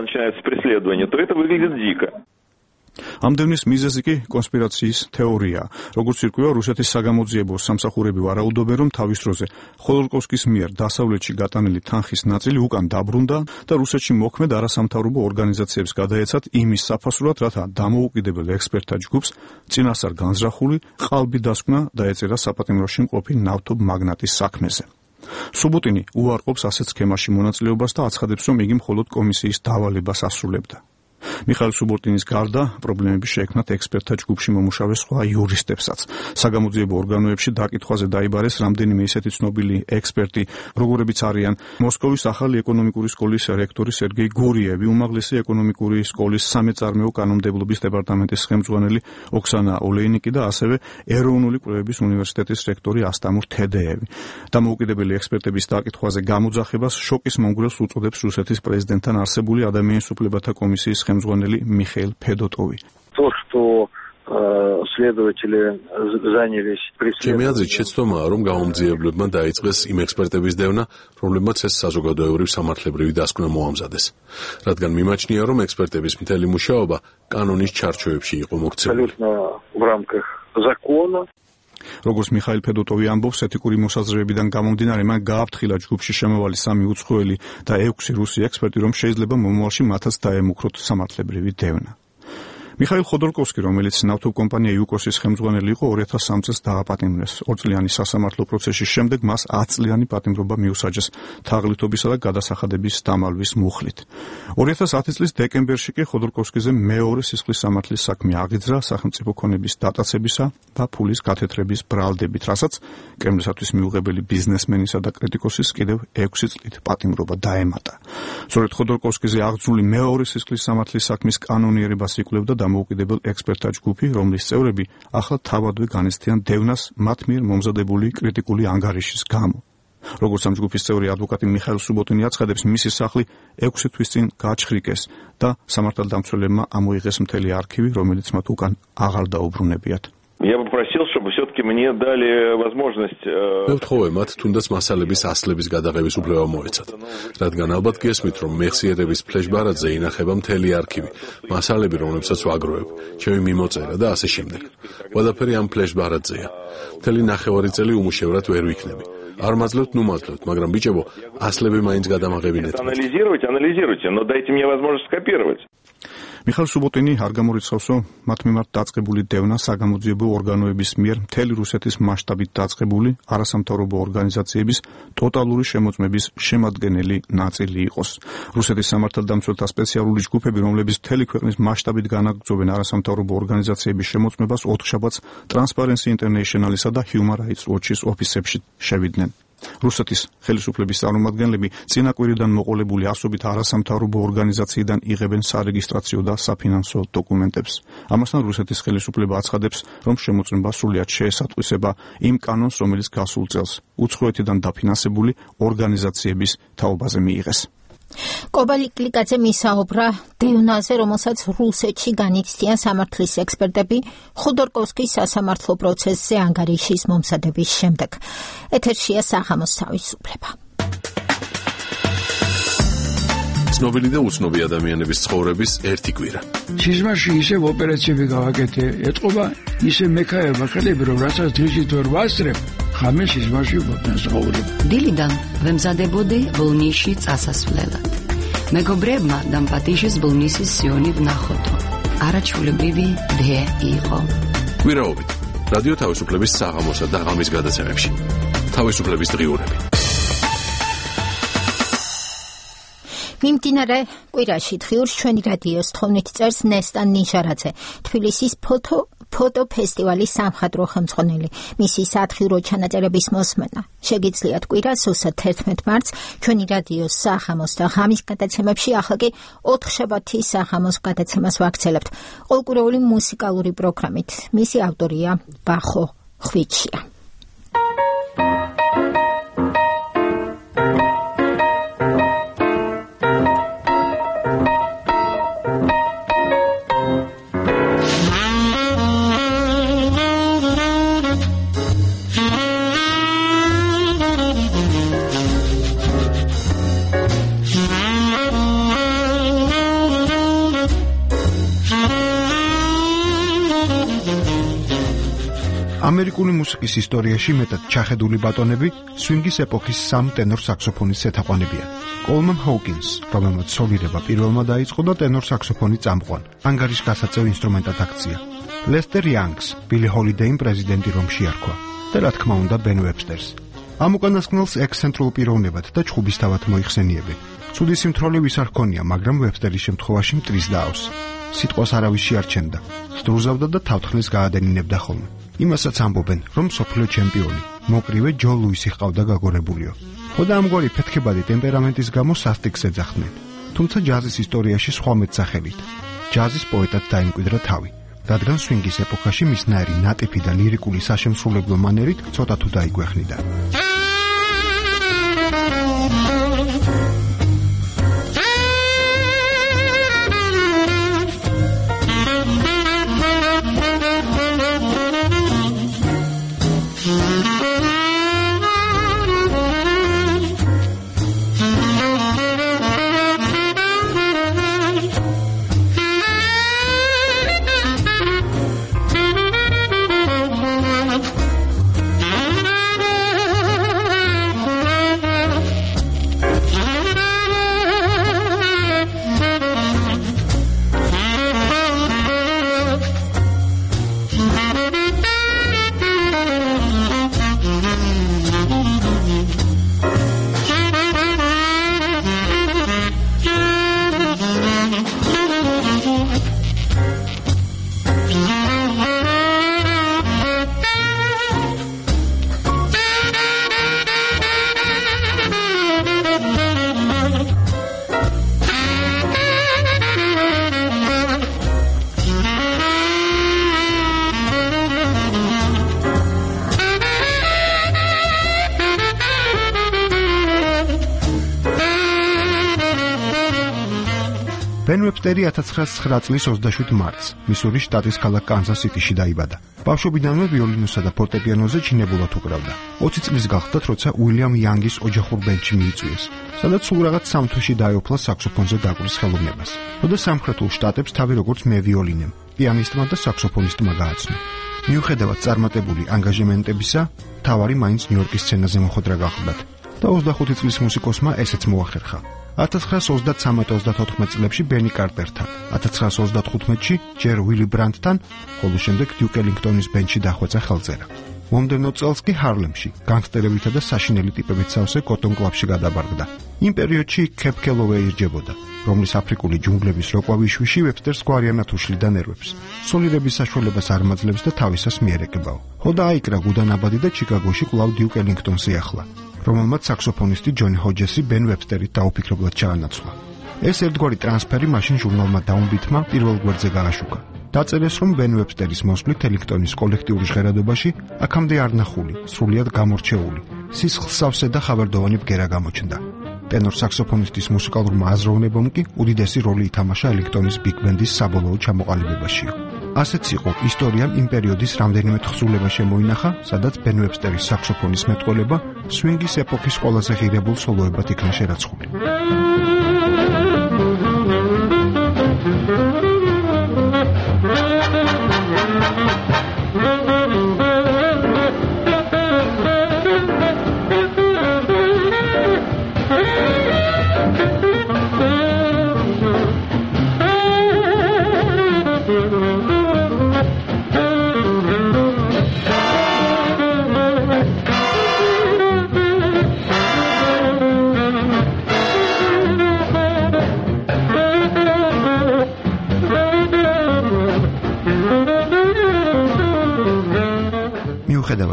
ამ დევნის მიზეზი კი კონსპირაციის თეორია. როგორც ირკვევა, რუსეთის საგამოძიებო სამსახურები ვარაუდობენ, რომ თავის დროზე ხოდორკოვსკის მიერ დასავლეთში გატანილი თანხის ნაწილი უკან დაბრუნდა და რუსეთში მოქმედ არასამთავრობო ორგანიზაციებს გადაეცათ იმის საფასურად, რათა დამოუკიდებელ ექსპერტთა ჯგუფს წინასწარ განზრახული ყალბი დასკვნა დაეწერა საპატიმროში მყოფი ნავთობ მაგნატის საქმეზე. სუბოტინი უარყოფს ასეთ სქემაში მონაწილეობას და აცხადებს, რომ იგი მხოლოდ კომისიის დავალებას ასრულებდა. მიხაილ სუბოტინის გარდა პრობლემები შეექმნათ ექსპერტთა ჯგუფში მომუშავე სხვა იურისტებსაც. საგამოძიებო ორგანოებში დაკითხვაზე დაიბარეს რამდენიმე ისეთი ცნობილი ექსპერტი, როგორებიც არიან მოსკოვის ახალი ეკონომიკური სკოლის რექტორი სერგეი გურიევი, უმაღლესი ეკონომიკური სკოლის სამეწარმეო კანონმდებლობის დეპარტამენტის ხელმძღვანელი ოქსანა ოლეინიკი და ასევე ეროვნული კვლევების უნივერსიტეტის რექტორი ასტამურ თედეევი. დამოუკიდებელი ექსპერტების დაკითხვაზე გამოძახებას შოკის მომგვრელს უწოდებს რუსეთის პრეზიდენტთან არსებული ადამიანის უფლებათა კომისიის ხელმძღვანელი მიხეილ ფედოტოვი. ჩემი აზრით შეცდომაა, რომ გამომძიებლებმა დაიწყეს იმ ექსპერტების დევნა, რომლებმაც ეს საზოგადოებრივ სამართლებრივი დასკვნა მოამზადეს. რადგან მიმაჩნია, რომ ექსპერტების მთელი მუშაობა კანონის ჩარჩოებში იყო მოქცეული. როგორც მიხაილ ფედოტოვი ამბობს, ეთიკური მოსაზრებებიდან გამომდინარე, მან გააფრთხილა ჯგუფში შემოვალი 3 უცხოელი და 6 რუსი ექსპერტი, რომ შეიძლება მომავალში მათაც დაემუქროთ სამართლებრივი დევნა. მიხაილ ხოდორკოვსკი, რომელიც ნავთობკომპანია იუკოსის ხელმძღვანელი იყო, 2003 წელს დააპატიმრეს. 2 წლიანი სასამართლო პროცესის შემდეგ მას 10 წლიანი პატიმრობა მიუსაჯეს თაღლითობისა და გადასახადების დამალვის მუხლით. 2010 წლის დეკემბერში კი ხოდორკოვსკიზე მეორე სისხლის სამართლის საქმე აღიძრა სახელმწიფო ქონების დატაცებისა და ფულის გათეთრების ბრალდებით, რასაც კრემლისათვის მიუღებელი ბიზნესმენისა და კრიტიკოსის კიდევ 6 წლით პატიმრობა დაემატა. სწორედ ხოდორკოვსკიზე აღძრული მეორე სისხლის სამართლის საქმის კანონიერებას იკვლევდა დამოუკიდებელ ექსპერტთა ჯგუფი, რომლის წევრები ახლა თავადვე განიცდიან დევნას მათ მიერ მომზადებული კრიტიკული ანგარიშის გამო. როგორც ამ ჯგუფის წევრი ადვოკატი მიხაილ სუბოტინი აცხადებს, მისი სახლი 6 თვის წინ გაჩხრიკეს და სამართალდამცველებმა ამოიღეს მთელი არქივი, რომელიც მათ უკან აღარ დაუბრუნებიათ. მე ვთხოვე მათ თუნდაც მასალების ასლების გადაღების უფლება მოეცათ, რადგან ალბათ გესმით, რომ მეხსიერების ფლეშბარადზე ინახება მთელი არქივი, მასალები, რომლებსაც ვაგროვებ, ჩემი მიმოწერა და ასე შემდეგ. ყველაფერი ამ ფლეშბარადზეა. მთელი 9 წელი უმუშევრად ვერ ვიქნები. არ მაძლევთ, ნუ მაძლევთ, მაგრამ ბიჭებო, ასლები მაინც გადამაღებინეთ. მიხაილ სუბოტინი არ გამორიცხავს, რომ მათ მიმართ დაწყებული დევნა საგამოძიებო ორგანოების მიერ მთელი რუსეთის მასშტაბით დაწყებული არასამთავრობო ორგანიზაციების ტოტალური შემოწმების შემადგენელი ნაწილი იყოს. რუსეთის სამართალდამცველთა სპეციალური ჯგუფები, რომლებიც მთელი ქვეყნის მასშტაბით განაგრძობენ არასამთავრობო ორგანიზაციების შემოწმებას, ოთხშაბათს Transparency International-ისა და Human Rights Watch-ის ოფისებში შევიდნენ. რუსეთის ხელისუფლების წარმომადგენლები წინა კვირიდან მოყოლებული ასობით არასამთავრობო ორგანიზაციიდან იღებენ სარეგისტრაციო და საფინანსო დოკუმენტებს. ამასთან რუსეთის ხელისუფლება აცხადებს, რომ შემოწმება სრულიად შეესატყვისება იმ კანონს, რომელიც გასულ წელს უცხოეთიდან დაფინანსებული ორგანიზაციების თაობაზე მიიღეს. კობალიკლიკაძე მისაუბრა დევნაზე, რომელსაც რუსეთში განიცდიან სამართლის ექსპერტები ხოდორკოვსკის სასამართლო პროცესზე ანგარიშის მომზადების შემდეგ. ეთერშია საღამოს თავისუფლება. ცნობილი და უცნობი ადამიანების ცხოვრების ერთი კვირა. სიზმარში ისევ ოპერაციები გავაკეთე, ეთყობა ისე მექაერმა ხელები, რომ რასაც დღისით ვერ ვასწრებ, ხამე სიზმარში ვფასრობ. დილიდან ვემზადებოდი ბოლნისში წასასვლელად. მეგობრებმა დამპატიშეს ბოლნისის სიონი ვნახოთო. არაჩვეულებრივი დე იყო. კვირაობით რადიო თავისუფლების საღამოსა და ღამის გადაცემებში. თავისუფლების დღიურები. მიმდინარე კვირაში დღიურს ჩვენი რადიოს თხოვნით წერს ნესტან ნიჟარაძე, თბილისის ფოტოფესტივალის სამხატვრო ხელმძღვანელი. მისი სათხილრო ჩანაწერების მოსმენა შეგიძლიათ კვირას 11 მარტს ჩვენი რადიოს სახამოს და ღამის გადაცემებში, ახლა კი 4 შაბათის სახამოს გადაცემას ვაგრძელებთ ყოველკვირეული მუსიკალური პროგრამით. მისი ავტორია ბახო ხვიჩია. ამერიკული მუსიკის ისტორიაში მეტად ჩახედული ბატონები სვინგის ეპოქის სამ ტენორ საქსოფონის ეთაყვანებიან. კოლმან ჰოუკინს, რომელმაც სოლირება პირველმა დაიწყო და ტენორ საქსოფონი წამყვან, ანგარიშგასაწევ ინსტრუმენტად აქცია. ლესტერ იანგს, ბილი ჰოლიდეიმ პრეზიდენტი რომში არქვა და რა თქმა უნდა ბენ ვებსტერს. ამ უკანასკნელს ექსცენტრულ პიროვნებად და ჩხუბისთავად მოიხსენიებენ. ცუდი სიმთვრალე ვის არ ჰქონია, მაგრამ ვებსტერის შემთხვევაში მტრის დაავს. სიტყვას არავის შეარჩენდა, სდრუზავდა და თავთხნეს გაადენინებდა ხოლმე. იმასაც ამბობენ, რომ მსოფლიო ჩემპიონი, მოკრივე ჯო ლუისი ჰყავდა გაგორებულიო. ხოდა ამგვარი ფეთქებადი ტემპერამენტის გამო სასტიკს ეძახდნენ. თუმცა ჯაზის ისტორიაში სხვა მეტსახელით. ჯაზის პოეტად დაიმკვიდრა თავი, რადგან სვინგის ეპოქაში მისნაირი ნატიფი და ლირიკული საშემსრულებლო მანერით ცოტა თუ დაიგვეხნიდა. ბენ ვებსტერი 1909 წლის 27 მარტს მისურის შტატის ქალაქ კანზას-სიტიში დაიბადა. ბავშვობიდანვე ვიოლინოსა და ფორტეპიანოზე ჩინებულად უკრავდა. 20 წლის გახდა, როცა უილიამ იანგის ოჯახურ ბენდში მიიწვიეს, სადაც სულ რაღაც 3 თვეში დაეუფლა საქსოფონზე დაკვრის ხელოვნებას. ხოდა სამხრეთულ შტატებს თავი როგორც მევიოლინემ, პიანისტმა და საქსოფონისტმა გააცნო. მიუხედავად წარმატებული ანგაჟემენტებისა, თავარი მაინც ნიუ-იორკის სცენაზე მოხვედრა გახლდათ და 25 წლის მუსიკოსმა ესეც მოახერხა. 1933-34 წლებში ბენი კარტერთან, 1935-ში ჯერ ვილი ბრანდთან, ხოლო შემდეგ დიუკ ელინგტონის ბენდში დახვეწა ხელწერა. მომდევნო წელს კი ჰარლემში, განგსტერებითა და საშინელი ტიპებით სავსე კოტონ კლაბში გადაბარგდა. იმ პერიოდში კეპ კელოვეი ირჯებოდა, რომლის აფრიკული ჯუნგლების როკვავიშვიში ვებსტერს გვარიანად უშლიდა ნერვებს. სოლირების საშუალებას არ მაძლევს და თავისას მიერეკებაო. ხოდა აიკრა გუდანაბადი და ჩიკაგოში კვლავ დიუკ ელინგტონს იახლა, რომელმაც საქსოფონისტი ჯონი ჰოჯესი ბენ ვებსტერით დაუფიქრებლად ჩაანაცვლა. ეს ერთგვარი ტრანსფერი მაშინ ჟურნალმა დაუნბითმა პირველ გვერდზე გააშუქა. დაწერეს, რომ ბენ ვებსტერის მოსვლით ელინგტონის კოლექტიური ჟღერადობაში აქამდე არ ნახული, სრულიად გამორჩეული, სისხლსავსე და ხავერდოვანი ბგერა გამოჩნდა. ტენორ საქსოფონისტის მუსიკალურმა აზროვნებამ კი უდიდესი როლი ითამაშა ელინგტონის ბიგ ბენდის საბოლოო ჩამოყალიბებაშიო. ასეც იყო ისტორიამ იმ პერიოდის რამდენიმე თხზულება შემოინახა, სადაც ბენ ვებსტერის საქსოფონის მეტყველება სვინგის ეპოქის ყველაზე ღირებულ სოლოებად იქნა შერაცხული.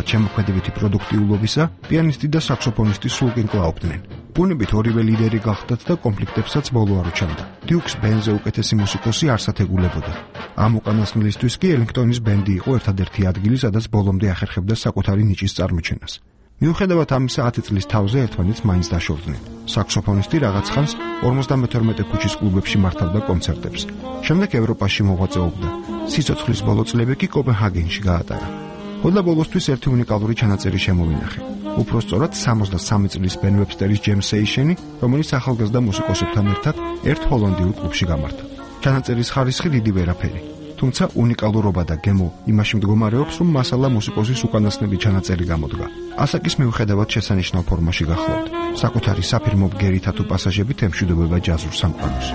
მიუხედავად შემოქმედებითი პროდუქტიულობისა, პიანისტი და საქსოფონისტი სულკინ კლაობდნენ. ბუნებით ორივე ლიდერი გახდათ და კონფლიქტებსაც ბოლო არ უჩამდა. დიუკს ბენზე უკეთესი მუსიკოსი არ სათეგულებოდა. ამ უკანასკნელისთვის კი ელინგტონის ბენდი იყო ერთადერთი ადგილი, სადაც ბოლომდე ახერხებდა საკუთარი ნიჭის წარმოჩენას. მიუხედავად ამისა 10 წლის თავზე ერთმანეთს მაინც დაშორდნენ. საქსოფონისტი რაღაც ხანს 52 ქუჩის კლუბებში მართავდა კონცერტებს. შემდეგ ევროპაში მოღვაწეობდა. სიცოცხლის ბოლო წლები კი კოპენჰაგენში გაატარა. ხოდა ბოლოსთვის ერთი უნიკალური ჩანაწერი შემოვინახე. უпростоრად 63 წლის ბენ ვებსტერის ჯემ სეიშენი, რომელიც ახალგაზრდა მუსიკოსებთან ერთად ერთ ჰოლანდიურ კლუბში გამართა. ჩანაწერის ხარისხი დიდი ვერაფერი. თუმცა უნიკალურობა და გემო იმაში მდგომარეობს, რომ მასალა მუსიკოსის უკანასკნელი ჩანაწერი გამოდგა. ასაკის მიუხედავად შესანიშნავ ფორმაში გახლავთ. საკუთარი საფირმო ბგერითა თუ პასაჟებით ემშვიდობება ჯაზურ სამყაროს.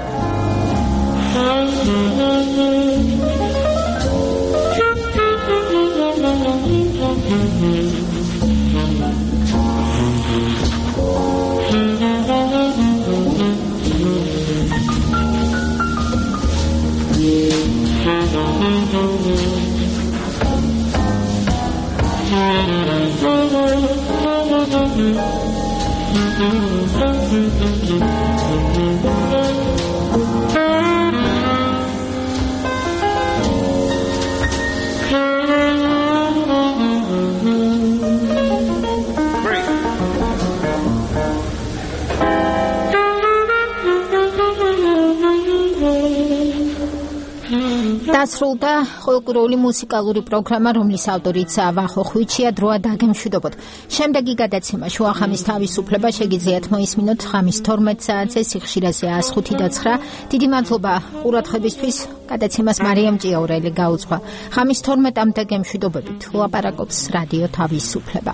დასრულდა ყოველკვირეული მუსიკალური პროგრამა, რომლის ავტორიც ვახო ხვიჩია. დროა დაგემშვიდობოთ. შემდეგი გადაცემა შუახამის თავისუფლება შეგიძლიათ მოისმინოთ ხამის 12 საათზე სიხშირეზე 105 და 9. დიდი მადლობა ყურადღებისთვის. გადაცემას მარიამ ჭიაურელი გაუძღვა. ხამის 12-მდე გემშვიდობებით. ლაპარაკობს რადიო თავისუფლება.